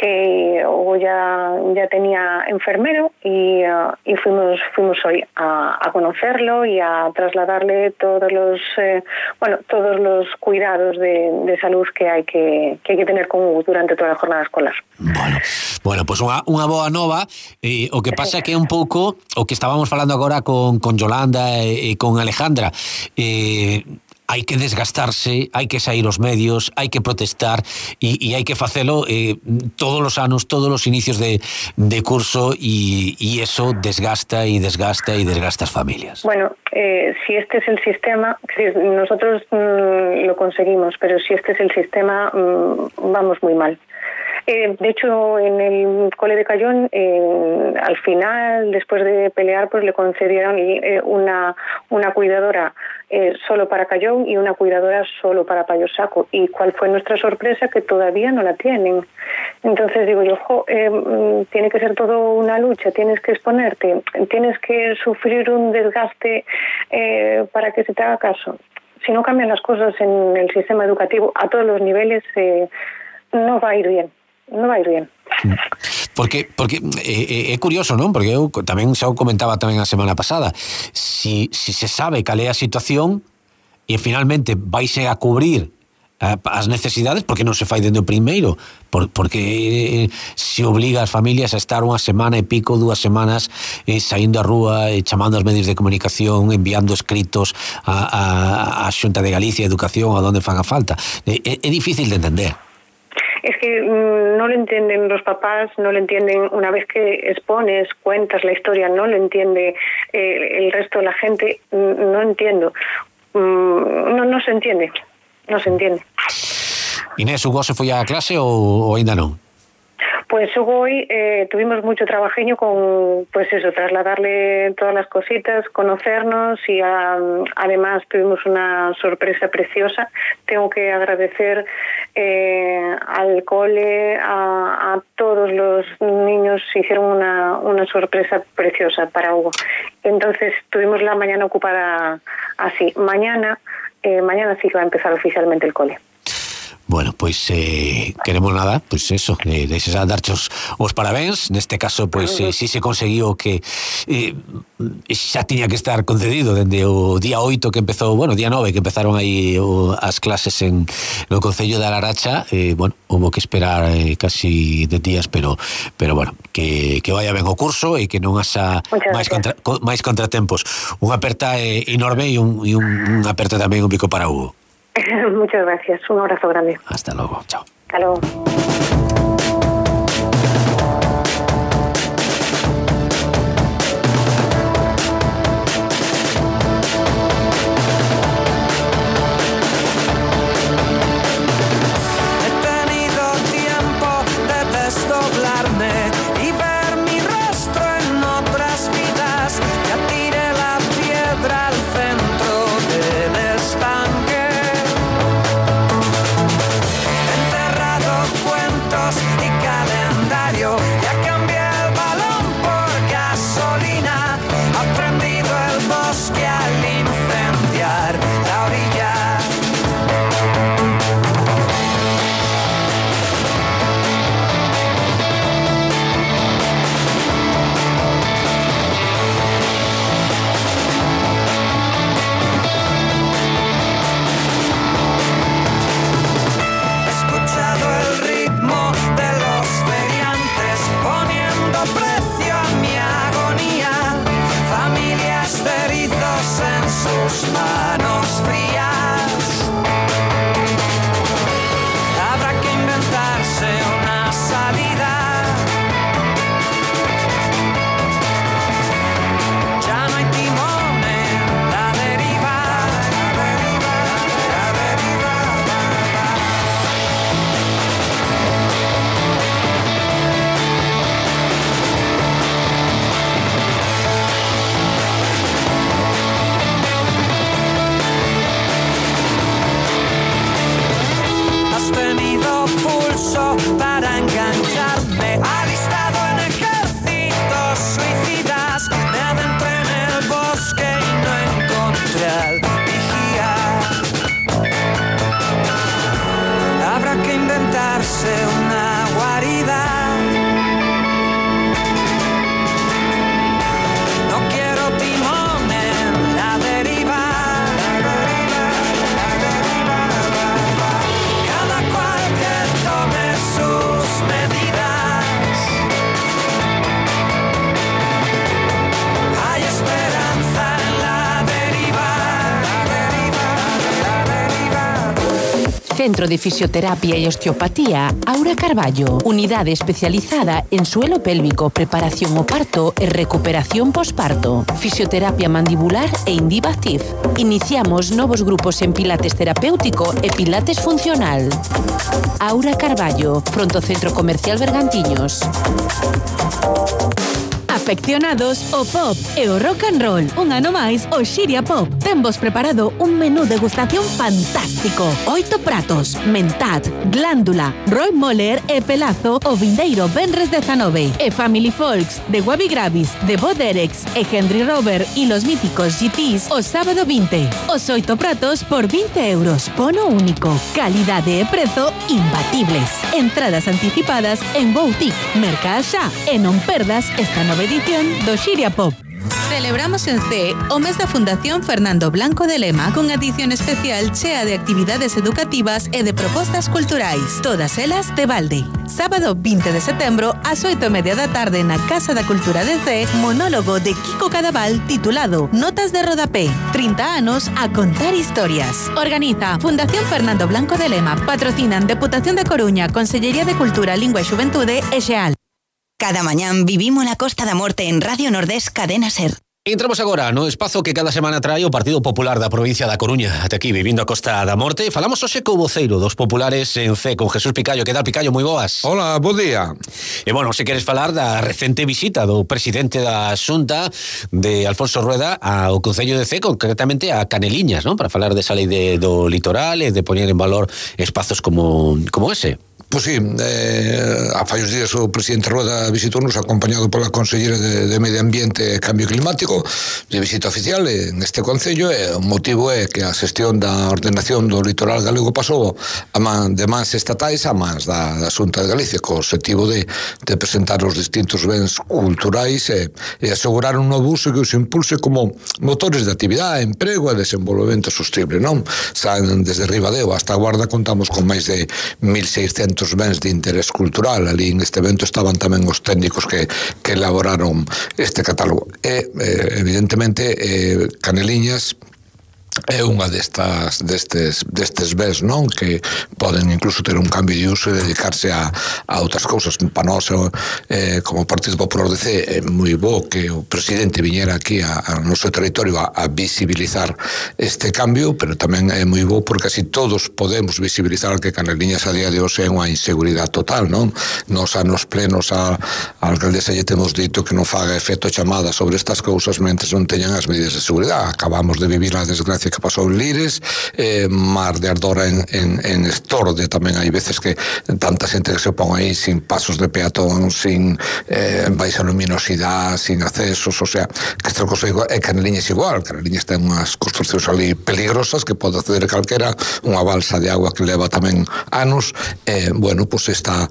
Eh, Hugo ya, ya tenía enfermero y, uh, y fuimos fuimos hoy a, a conocerlo y a trasladarle todos los eh, bueno todos los cuidados de, de salud que hay que, que hay que tener con Hugo durante toda a jornada escolar. Bueno, bueno, pois unha, unha boa nova, eh, o que pasa é que é un pouco o que estábamos falando agora con, con Yolanda e, e con Alejandra, eh, hai que desgastarse, hai que sair os medios, hai que protestar e, e hai que facelo eh, todos os anos, todos os inicios de, de curso e, e eso desgasta e desgasta e desgasta as familias. Bueno, eh, si este es el sistema, si nosotros mmm, lo conseguimos, pero si este es el sistema, mmm, vamos muy mal. Eh, de hecho, en el cole de Cayón, eh, al final, después de pelear, pues le concedieron eh, una, una cuidadora eh, solo para Cayón y una cuidadora solo para Payosaco. ¿Y cuál fue nuestra sorpresa? Que todavía no la tienen. Entonces digo yo, jo, eh, tiene que ser todo una lucha, tienes que exponerte, tienes que sufrir un desgaste eh, para que se te haga caso. Si no cambian las cosas en el sistema educativo a todos los niveles, eh, no va a ir bien. Non vai bien. Porque porque é, é curioso, non? Porque eu tamén xa o comentaba tamén a semana pasada. Si, si se sabe cal é a situación e finalmente vaise a cubrir as necesidades, porque non se fai dende o primeiro? Por, porque se obliga as familias a estar unha semana e pico, dúas semanas eh, saindo á rúa, eh, chamando aos medios de comunicación, enviando escritos a, a, a Xunta de Galicia, Educación, a donde faga falta. É, é difícil de entender. Es que mmm, no lo entienden los papás, no lo entienden una vez que expones, cuentas la historia, no lo entiende eh, el resto de la gente, mmm, no entiendo, mmm, no, no se entiende, no se entiende. Inés, Hugo se foi a clase ou, ou ainda non? Pues Hugo, hoy eh, tuvimos mucho trabajeño con, pues eso, trasladarle todas las cositas, conocernos y a, además tuvimos una sorpresa preciosa. Tengo que agradecer eh, al cole, a, a todos los niños, hicieron una, una sorpresa preciosa para Hugo. Entonces tuvimos la mañana ocupada así. Mañana, eh, mañana sí que va a empezar oficialmente el cole. Bueno, pois eh, queremos nada, pois eso, eh, desexar darchos os parabéns. Neste caso, pois eh, si se conseguiu que eh, xa tiña que estar concedido dende o día oito que empezou, bueno, día nove que empezaron aí o, as clases en no Concello de Laracha, eh, bueno, houve que esperar eh, casi de días, pero pero bueno, que, que vaya ben o curso e que non haxa máis, contra, máis contratempos. Unha aperta eh, enorme e un, e un, un aperta tamén un bico para Hugo. Muchas gracias, un abrazo grande. Hasta luego, chao. Hasta luego. Cuento Centro de Fisioterapia y Osteopatía Aura Carballo. Unidade especializada en suelo pélvico, preparación o parto e recuperación posparto. Fisioterapia mandibular e Indivactive. Iniciamos novos grupos en pilates terapéutico e pilates funcional. Aura Carballo, fronte ao Centro Comercial Bergantiños. Afeccionados o pop e o rock and roll. Un ano máis, o Xiria Pop. Tenvos preparado un menú degustación fantástico. Oito pratos, mentad, glándula, Roy Moller e Pelazo o vindeiro Benres dezanove. E Family Folks, de Wabi Gravis, de Bo Derex e Henry Rover y los míticos G Ts o sábado vinte. Os oito pratos por vinte euros. Pono único. Calidade e prezo imbatibles. Entradas anticipadas en Boutique, Merca xa. E non perdas esta nova edición do Xiria Pop. Celebramos en C o mes da Fundación Fernando Blanco de Lema con edición especial chea de actividades educativas e de propostas culturais, todas elas de balde. Sábado vinte de setembro ás oito e media da tarde na Casa da Cultura de C, monólogo de Kiko Cadaval titulado Notas de Rodapé, trinta anos a contar historias. Organiza Fundación Fernando Blanco de Lema, patrocinan Deputación de Coruña, Consellería de Cultura, Lingua e Xuventude e Xeal. Cada mañán vivimos la Costa da Morte en Radio Nordés Cadena Ser. Entramos agora no espazo que cada semana trae o Partido Popular da provincia da Coruña. Ate aquí, vivindo a Costa da Morte. Falamos hoxe co voceiro dos populares en C, con Jesús Picallo. Que tal, Picallo? Moi boas. Hola, bo día. E, bueno, se queres falar da recente visita do presidente da Xunta, de Alfonso Rueda, ao Concello de C, concretamente a Caneliñas, ¿no? Para falar desa lei de, do litoral e de poñer en valor espazos como, como ese. Pois sí, eh, a fallos días o presidente Rueda visitounos acompañado pola consellera de, de Medio Ambiente e Cambio Climático de visita oficial en este concello, e o motivo é que a xestión da ordenación do litoral galego pasou a man, de mans estatais a mans da, da Xunta de Galicia, co objetivo de, de presentar os distintos bens culturais e, e asegurar un novo uso que os impulse como motores de actividade, emprego e desenvolvemento sostible, non? Saen desde Ribadeo hasta a Guarda contamos con máis de mil seiscentos bens de interés cultural. Ali en este evento estaban tamén os técnicos que, que elaboraron este catálogo. E, eh, evidentemente, eh, Caneliñas é unha destas destes destes bens, non, que poden incluso ter un cambio de uso e dedicarse a, a outras cousas. Para nós, eh, como Partido Popular de C, é moi bo que o presidente viñera aquí a, a noso territorio a, a visibilizar este cambio, pero tamén é moi bo porque así todos podemos visibilizar que Caneliñas a día de hoxe é unha inseguridade total, non? Nos anos plenos a, a alcaldesa lle temos dito que non faga efecto chamada sobre estas cousas mentres non teñan as medidas de seguridade. Acabamos de vivir a desgracia que pasou en Lires, eh, Mar de Ardora en, en, en Estorde tamén hai veces que tanta xente que se pon aí sin pasos de peatón, sin eh, baixa luminosidade, sin accesos, o sea, que esta cosa igual, e Caneliñas igual, Caneliñas ten unhas construccións ali peligrosas que pode acceder calquera, unha balsa de agua que leva tamén anos, e, eh, bueno, pois pues esta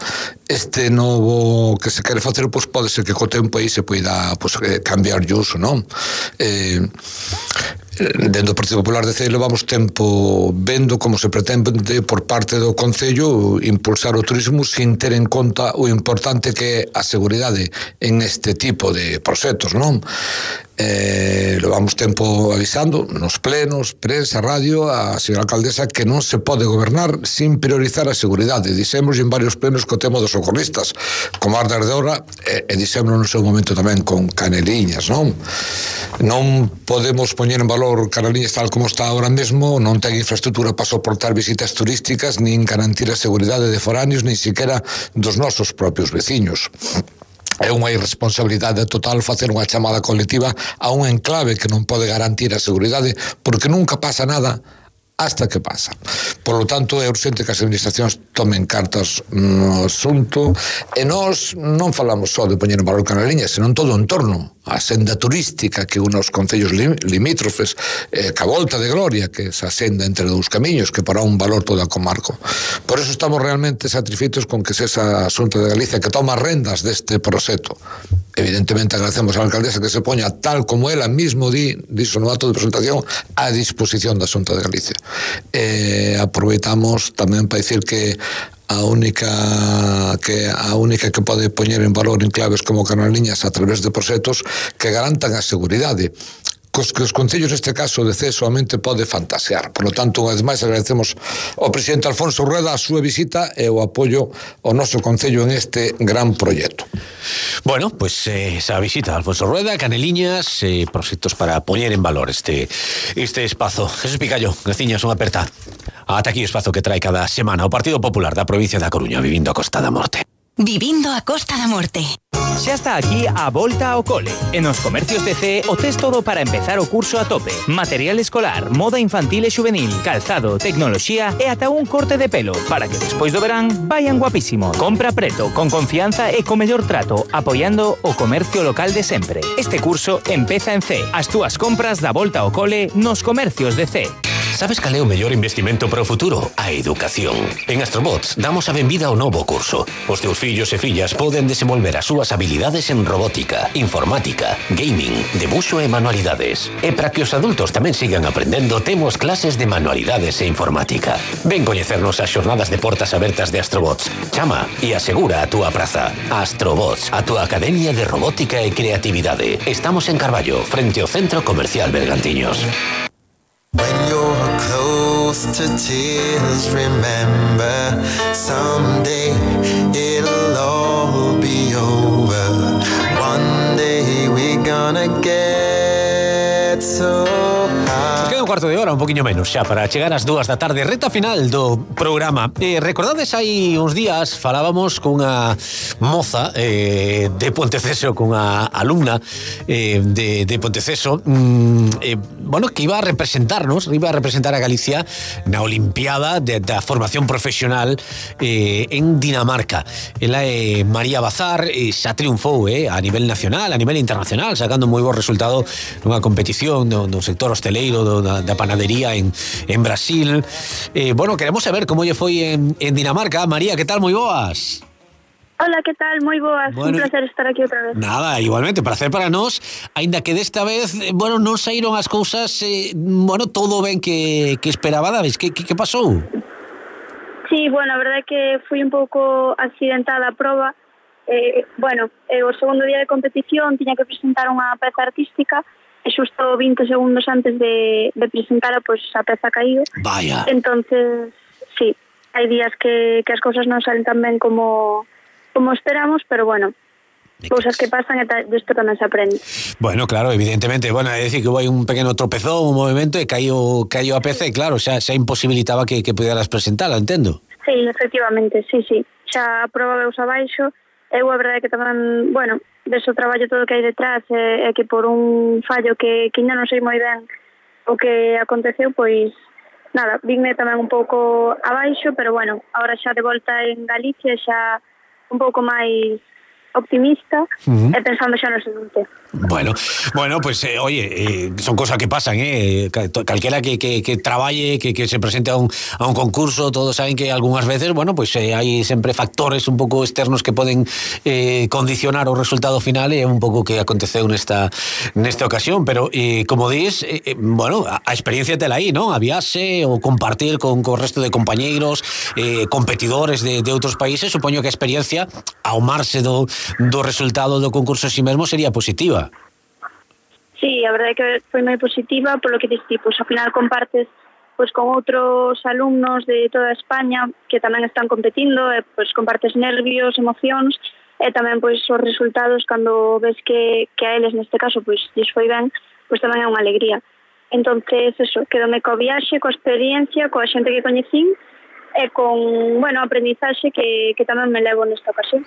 este novo que se quere facer, pois pues pode ser que co tempo aí se poida pues, cambiar de uso, non? Eh, dentro do Partido Popular de C levamos tempo vendo como se pretende por parte do Concello impulsar o turismo sin ter en conta o importante que é a seguridade en este tipo de proxectos, non? Eh, levamos tempo avisando nos plenos, prensa, radio a señora alcaldesa que non se pode gobernar sin priorizar a seguridade. Dixemos en varios plenos co tema dos socorristas como Mar de Ardora e, e dixemos no seu momento tamén con Caneliñas, non? Non podemos poñer en valor Caneliñas tal como está ahora mesmo, non ten infraestructura para soportar visitas turísticas nin garantir a seguridade de foráneos nin siquiera dos nosos propios veciños. É unha irresponsabilidade total facer unha chamada colectiva a un enclave que non pode garantir a seguridade porque nunca pasa nada hasta que pasa. Por lo tanto, é urgente que as administracións tomen cartas no asunto e nós non falamos só de poñer en valor Caneliñas, senón todo o entorno, a senda turística que une os concellos limítrofes, eh, que a Volta de Gloria, que é esa senda entre dous camiños que para un valor toda a comarco. Por eso estamos realmente satisfeitos con que se esa Xunta de Galicia que toma rendas deste proxecto. Evidentemente agradecemos á alcaldesa que se poña tal como ela mismo di, dixo no acto de presentación, a disposición da Xunta de Galicia. Eh, aproveitamos tamén para dicir que a única que a única que pode poñer en valor enclaves como Caneliñas a través de proxectos que garantan a seguridade cos que os concellos neste caso de C solamente pode fantasear. Por lo tanto, unha vez máis agradecemos ao presidente Alfonso Rueda a súa visita e o apoio ao noso concello en este gran proxecto. Bueno, pues eh, esa visita a Alfonso Rueda, Caneliñas, eh, proxectos para poñer en valor este este espazo. Jesús Picallo, graciñas, unha aperta. Ata aquí o espazo que trae cada semana o Partido Popular da provincia da Coruña, vivindo a Costa da Morte. Vivindo a Costa da Morte. Xa está aquí a volta ao cole. En os comercios de C o tes todo para empezar o curso a tope. Material escolar, moda infantil e juvenil, calzado, tecnoloxía e ata un corte de pelo para que despois do verán vayan guapísimos. Compra preto, con confianza e co mellor trato, apoiando o comercio local de sempre. Este curso empeza en C. As túas compras da volta ao cole nos comercios de C. Sabes cal é o mellor investimento para o futuro? A educación. En Astrobots damos a benvida ao novo curso. Os teus fillos e fillas poden desenvolver as súas habilidades en robótica, informática, gaming, debuxo e manualidades. E para que os adultos tamén sigan aprendendo, temos clases de manualidades e informática. Ven coñecernos as xornadas de portas abertas de Astrobots. Chama e asegura a túa praza. Astrobots, a túa academia de robótica e creatividade. Estamos en Carballo, frente ao Centro Comercial Bergantiños. When you're close to tears, remember someday it'll all be over. One day we're gonna get so high. Nos queda un cuarto de hora, un poquinho menos xa, para chegar ás dúas da tarde, reta final do programa. Eh, recordades hai uns días falábamos cunha moza eh, de Ponteceso, cunha alumna eh, de, de Ponteceso, mm, eh, bueno, que iba a representarnos, iba a representar a Galicia na Olimpiada de, da formación profesional eh, en Dinamarca. Ela é María Bazar, e xa triunfou eh, a nivel nacional, a nivel internacional, sacando moi bo resultado nunha competición no, no sector hosteleiro do, da, da panadería en, en Brasil. Eh, bueno, queremos saber como lle foi en, en Dinamarca. María, que tal? Moi boas. Hola, que tal? Moi boas, bueno, un placer estar aquí outra vez. Nada, igualmente, placer para nós, aínda que desta vez, bueno, non saíron as cousas, eh, bueno, todo ben que, que esperabades. Que, que, que pasou? Sí, bueno, a verdade é que fui un pouco accidentada a proba. Eh, bueno, eh, o segundo día de competición tiña que presentar unha peza artística e xusto vinte segundos antes de, de presentara, pois pues, a peza caíu. Vaya. Entonces, sí, hai días que, que as cousas non salen tan ben como... como esperamos, pero bueno, cousas que pasan e desto tamén se aprende. Bueno, claro, evidentemente, bueno, é dicir que hubo un pequeno tropezón, un movimento e caiu, caiu a peza e claro, xa, xa imposibilitaba que, que pudieras presentala, entendo. Sí, efectivamente, sí, sí, xa a proba veus abaixo, eu a verdade que tamén, bueno, deso traballo todo que hai detrás é, é que por un fallo que, que ainda non sei moi ben o que aconteceu, pois nada, vinme tamén un pouco abaixo, pero bueno, ahora xa de volta en Galicia xa un pouco máis optimista uh-huh. e pensando xa no seguinte. Bueno, bueno, pues eh, oye, eh, son cosas que pasan, eh, calquera que, que, que traballe, que, que se presente a un, a un concurso, todos saben que algunhas veces, bueno, pues eh, hai sempre factores un pouco externos que poden eh, condicionar o resultado final e é un pouco que aconteceu nesta nesta ocasión, pero eh, como dis, eh, eh, bueno, a, a experiencia tela aí, ¿no? A viaxe ou compartir con o resto de compañeiros, eh, competidores de, de outros países, supoño que a experiencia ao marxe do, do resultado do concurso en si mesmo sería positiva. Sí, a verdade é que foi moi positiva, polo que diste, pois ao final compartes pois con outros alumnos de toda España que tamén están competindo, e pois compartes nervios, emocións, e tamén pois os resultados cando ves que, que a eles neste caso pois lles foi ben, pois tamén é unha alegría. Entonces, eso, quedome coa viaxe, coa experiencia, coa xente que coñecín, e con, bueno, aprendizaxe que, que tamén me levo nesta ocasión.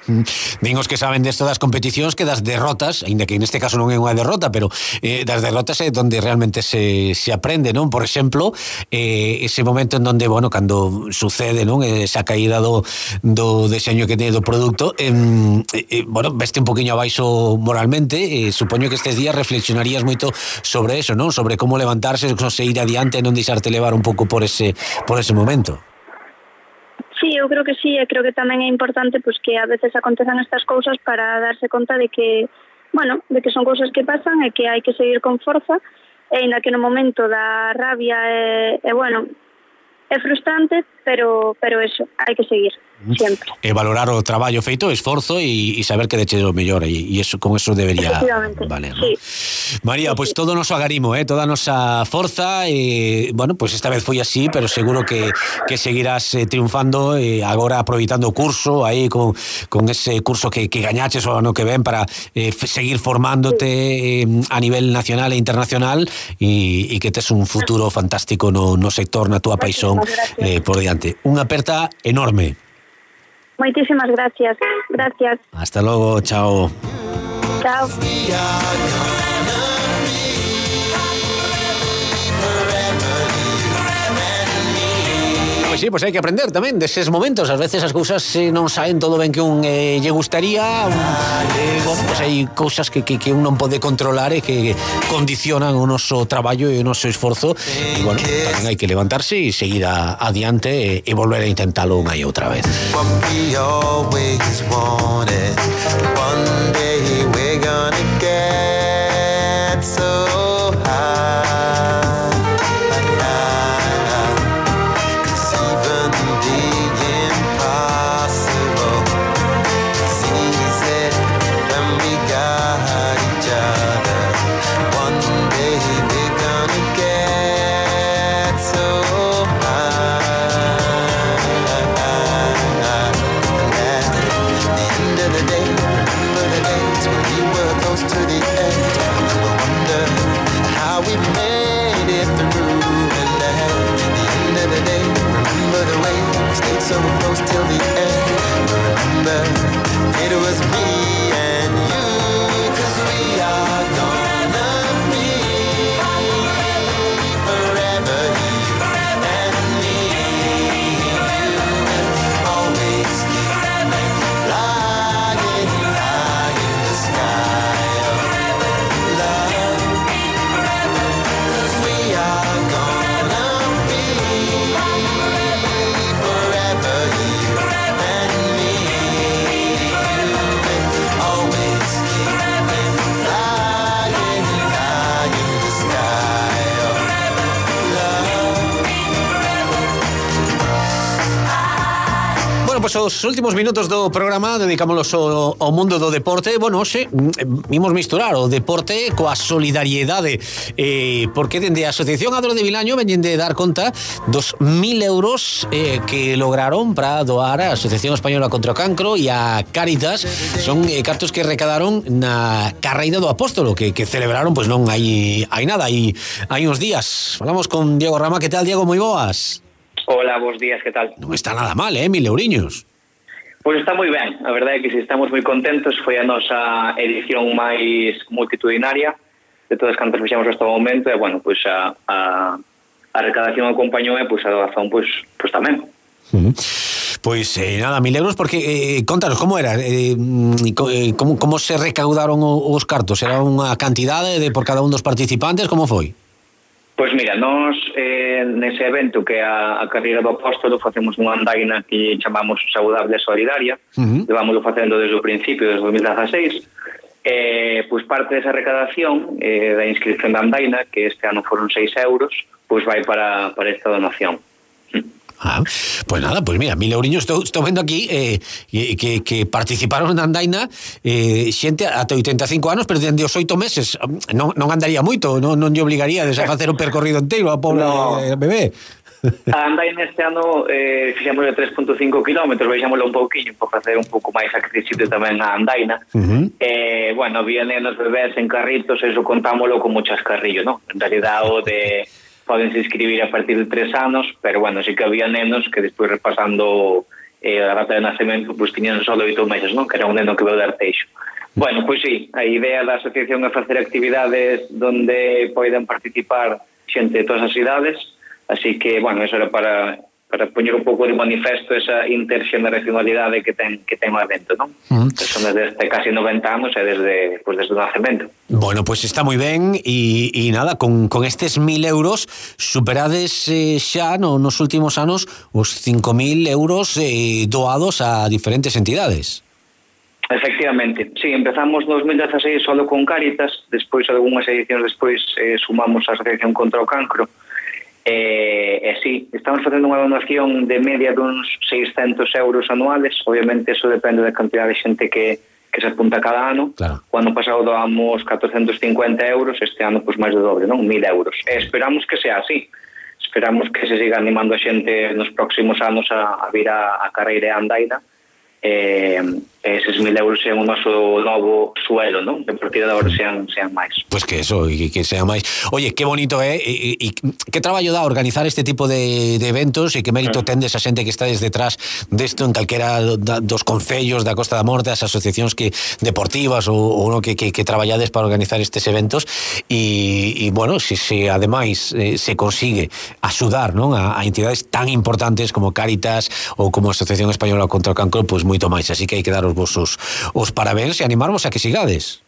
Din os que saben desto das competicións que das derrotas, aínda que neste caso non é unha derrota, pero eh, das derrotas é donde realmente se, se aprende, non? Por exemplo, eh, ese momento en donde, bueno, cando sucede, non? Esa caída do, do deseño que teñe do produto, eh, eh, bueno, veste un poquinho abaixo moralmente, eh, supoño que estes días reflexionarías moito sobre eso, non? Sobre como levantarse, seguir adiante e non deixarte levar un pouco por ese, por ese momento. Sí, eu creo que sí, e creo que tamén é importante pois que a veces acontezan estas cousas para darse conta de que, bueno, de que son cousas que pasan e que hai que seguir con forza, e ainda que no momento da rabia é, é bueno, é frustrante, pero pero eso, hai que seguir sempre. E valorar o traballo feito, o esforzo e, e saber que deche o mellor, e, e eso, con eso debería valer, ¿no? Sí. María, pois pues todo o noso agarimo, eh, toda a nosa forza, e, bueno, pois pues esta vez foi así, pero seguro que, que seguirás eh, triunfando, e agora aproveitando o curso aí con, con ese curso que, que gañaches o ano que ven para eh, seguir formándote eh, a nivel nacional e internacional, e, e que tes un futuro fantástico no, no sector, na túa paixón eh, por diante. Unha aperta enorme. Moitísimas gracias. Gracias. Hasta logo, chao. Chao. Pois sí, pois hai que aprender tamén deses momentos. Ás veces as cousas eh, non saen todo ben que un eh, lle gustaría. Un, eh, bueno, pois hai cousas que, que, que un non pode controlar e que condicionan o noso traballo e o noso esforzo. E, bueno, tamén hai que levantarse e seguir a, adiante e, e volver a intentalo unha e outra vez. What we always wanted. One day we're gonna get so high. So close till the end. Remember, it was me and you, 'cause we are gonna be forever, you and me. Always keep flying high in the sky of love. 'Cause we are gonna be forever, you and me. Always keep flying high in the sky of love. Bueno, pois pues os últimos minutos do programa dedicámonos ao, ao mundo do deporte. Bueno, hoxe vimos misturar o deporte coa solidariedade, eh, porque dende a Asociación Adro de Vilaño veñen de dar conta dos mil euros eh, que lograron para doar a Asociación Española contra o Cancro e a Cáritas. Son eh, cartos que recadaron na carreira do Apóstolo, que, que celebraron, pois pues non hai, hai nada, hai, hai uns días. Falamos con Diego Rama. Que tal, Diego? Moi boas. Hola, bons días, que tal? Non está nada mal, eh, mil euriños. Pois está moi ben, a verdade é que si estamos moi contentos. Foi a nosa edición máis multitudinaria de todas as cantas fixemos hasta o momento, e, bueno, pois a, a, a recadación acompañou e pois a doazón pois, pois tamén. Uh-huh. Pois eh, nada, mil euros, porque eh, contanos, como era? Eh, como, como se recaudaron os cartos? Era unha cantidade de por cada un dos participantes? Como foi? Pois mira, nós eh, nese evento que é a, a carreira do Apóstolo facemos unha andaina que chamamos Saudable e Solidaria. Uh-huh. Levámoslo facendo desde o principio, desde o dos mil dieciséis. Eh, pois parte desa recadación eh, da inscripción da andaina, que este ano foron seis euros, pois vai para, para esta donación. Ah, pues nada, pues mira, mil euriños estou, estou vendo aquí eh, que, que participaron na andaina eh, xente ata oitenta e cinco anos, pero dende os oito meses non, non andaría moito, non, non lle obligaría a facer o percorrido inteiro a pobre no. eh, bebé. A andaina este ano eh, fixemos de tres punto cinco kilómetros, baixámoslo un pouquinho para facer un pouco máis accesible tamén a andaina. Uh-huh. eh, bueno, había nenos bebés en carritos, eso contámoslo como chascarrillo, ¿no? En realidad o de podense inscribir a partir de tres anos, pero bueno, sí que había nenos que despois repasando eh, a data de nacemento, pois pues, tiñan só oito meses, non? Que era un neno que veu de Arteixo. Bueno, pois pues, sí, a idea da asociación é facer actividades donde poidan participar xente de todas as idades, así que, bueno, eso era para para poñer un pouco de manifesto esa interxeneracionalidade que ten que ten o evento, non? Uh-huh. Son desde casi noventa anos e desde, pues, desde o nacemento. Bueno, pois pues está moi ben e, e nada, con, con estes mil euros superades eh, xa no, nos últimos anos os cinco mil euros eh, doados a diferentes entidades. Efectivamente, sí, empezamos no dos mil dieciséis solo con Cáritas, despois algunhas edicións despois eh, sumamos a Asociación contra o Cancro. E, e sí, estamos facendo unha donación de media duns seiscentos euros anuales. Obviamente eso depende da cantidad de xente que, que se apunta cada ano. Claro. O ano pasado doamos catorcentos cincuenta euros, este ano pois máis do doble, non? mil euros. E esperamos que sea así. Esperamos que se siga animando a xente nos próximos anos a, a vir a, a carreira a Andaina. Eh, eses mil euros sean o noso novo suelo, non? De partida de agora sean, sean máis. Pois pues que eso, e que sea máis. Oye, que bonito é, e, e, e que traballo dá organizar este tipo de, de eventos, e que mérito mm. tendes a xente que está desde detrás desto en calquera da, dos concellos da Costa da Morte, as asociacións que deportivas ou, ou no, que, que, que traballades para organizar estes eventos, e, e bueno, se, se ademais eh, se consigue axudar, non, a, a entidades tan importantes como Cáritas ou como a Asociación Española contra o Cancro, pois pues moito máis, así que hai que daros vos os, os parabéns e animarvos a que sigades.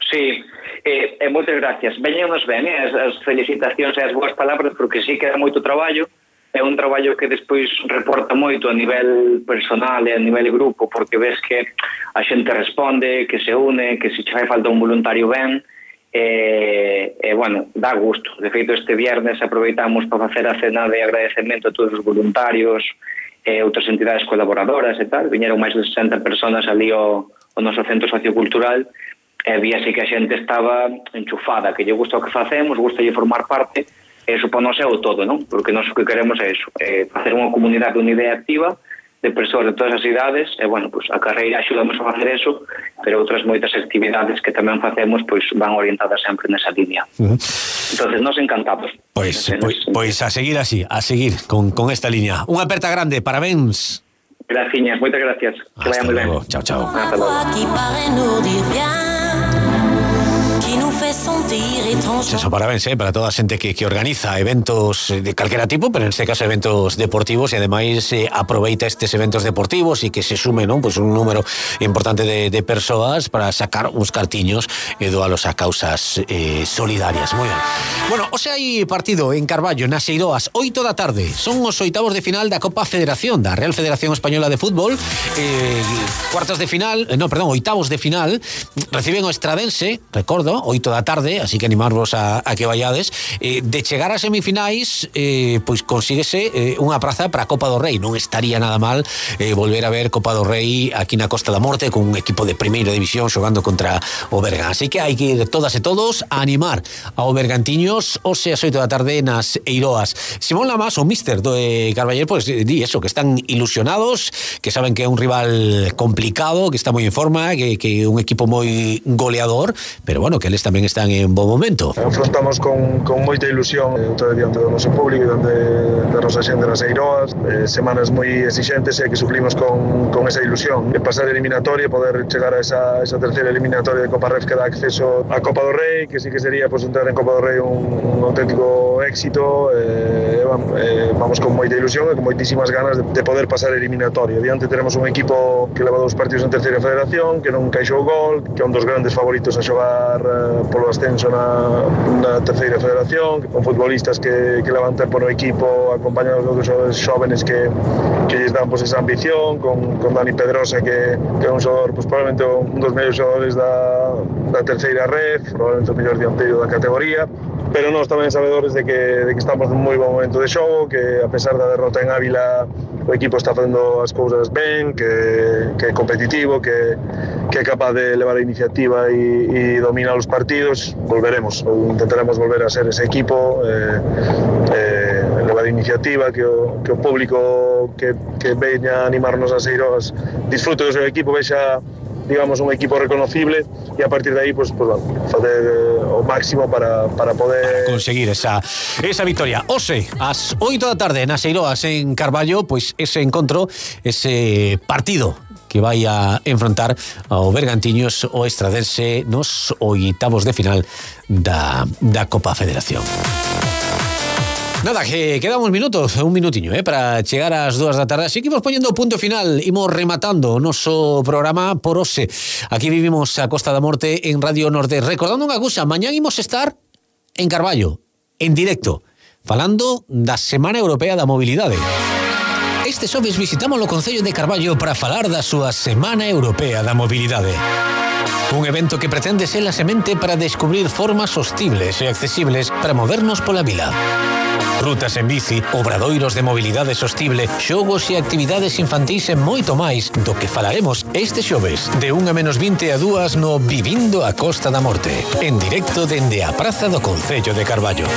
Sí, eh, eh, moitas gracias. Veñanos ben, eh, as, as felicitacións e as boas palabras, porque sí que é moito traballo, é un traballo que despois reporta moito a nivel personal e a nivel grupo, porque ves que a xente responde, que se une, que se che fai falta un voluntario ben, e, e bueno, dá gusto. De feito, este viernes aproveitamos para facer a cena de agradecemento a todos os voluntarios e outras entidades colaboradoras e tal. Viñeron máis de sesenta personas ali ao, ao noso centro sociocultural, e víase que a xente estaba enchufada, que lle gusta o que facemos, gusta lle formar parte, e iso para nós é o todo, non? Porque nós o que queremos é iso, é facer unha comunidade unida e activa de persoas de todas as idades, e bueno, pues a carreira axudamos a facer eso, pero outras moitas actividades que tamén facemos pois van orientadas sempre nesa línea. Uh-huh. Entonces, nos encantamos. Pois, pois, pois a seguir así, a seguir con, con esta línea. Unha aperta grande, parabéns. Graciñas, moitas gracias. Que vaya moi ben. Chao, chao. Hasta logo. Eso, parabéns, eh, para toda a xente que, que organiza eventos de calquera tipo, pero en este caso eventos deportivos, e ademais eh, aproveita estes eventos deportivos e que se sume, non, pues un número importante de, de persoas para sacar uns cartiños e doalos a causas eh, solidarias. Moi ben. Bueno, hoxe hai partido en Carballo, nas Eiroas, oito da tarde. Son os oitavos de final da Copa Federación, da Real Federación Española de Fútbol. Eh, cuartos de final, no, perdón, oitavos de final, reciben o Estradense, recordo, oito da tarde, así que animarvos a, a que vayades. Eh, de chegar a semifinais, eh, pois consíguese eh, unha praza para a Copa do Rei. Non estaría nada mal eh, volver a ver Copa do Rei aquí na Costa da Morte con un equipo de primeira división xogando contra o Bergan. Así que hai que ir todas e todos a animar ao Bergantiños hoxe ás oito da tarde nas Eiroas. Simón Lamas, o míster do eh, Carballo, pois pues, di eso, que están ilusionados, que saben que é un rival complicado, que está moi en forma, que é un equipo moi goleador, pero bueno, que eles tamén están en bo momento. Afrontamos con, con moita ilusión eh, todo diante do noso público e diante da nosa xente nas Eiroas, eh, semanas moi exigentes e que suplimos con, con esa ilusión de pasar eliminatoria e poder chegar a esa, esa terceira eliminatoria de Copa Ref que dá acceso a Copa do Rei, que sí que sería pues, entrar en Copa do Rei un, un auténtico éxito. eh, eh, vamos con moita ilusión e con moitísimas ganas de, de poder pasar eliminatoria. Diante tenemos un equipo que leva dous partidos en terceira federación, que non caixou gol, que é un dos grandes favoritos a xogar eh, polo ascenso na, na terceira federación, con futbolistas que, que levan tempo no equipo, acompañados de outros xóvenes que, que lles dan pues, esa ambición, con, con Dani Pedrosa, que, que é un xogador, pues, probablemente un dos mellores xogadores da, da terceira ref, probablemente o mellor dianteiro da categoría, pero nós tamén sabedores de que, de que estamos nun moi bon momento de xogo, que a pesar da derrota en Ávila o equipo está facendo as cousas ben, que, que é competitivo, que, que é capaz de levar a iniciativa e, e dominar os partidos. Volveremos, ou intentaremos volver a ser ese equipo, eh, eh, levar a iniciativa, que o, que o público que, que veña a animarnos as Eiroas disfrute do seu equipo, vexa digamos un equipo reconocible e a partir de aí pues, pues, bueno, facer o máximo para, para poder conseguir esa, esa victoria. Ose, ás oito da tarde nas Eiroas en Carballo, pois pues ese encontro, ese partido que vai a enfrontar ao Bergantiños o Estradense nos oitavos de final da, da Copa Federación. Nada, que quedan uns minutos, un minutiño, eh, para chegar ás dúas da tarde. Así que imos poñendo o punto final, imos rematando o noso programa por hoxe. Aquí vivimos a Costa da Morte en Radio Nordés. Recordando unha cousa, mañán imos estar en Carballo, en directo, falando da Semana Europea da Mobilidade. Este xoves visitamos o Concello de Carballo para falar da súa Semana Europea da Mobilidade. Un evento que pretende ser a semente para descubrir formas sostibles e accesibles para movernos pola vila. Rutas en bici, obradoiros de mobilidade sostible, xogos e actividades infantís e moito máis do que falaremos este xoves de unha menos vinte a dúas no Vivindo a Costa da Morte, en directo dende a Praza do Concello de Carballo.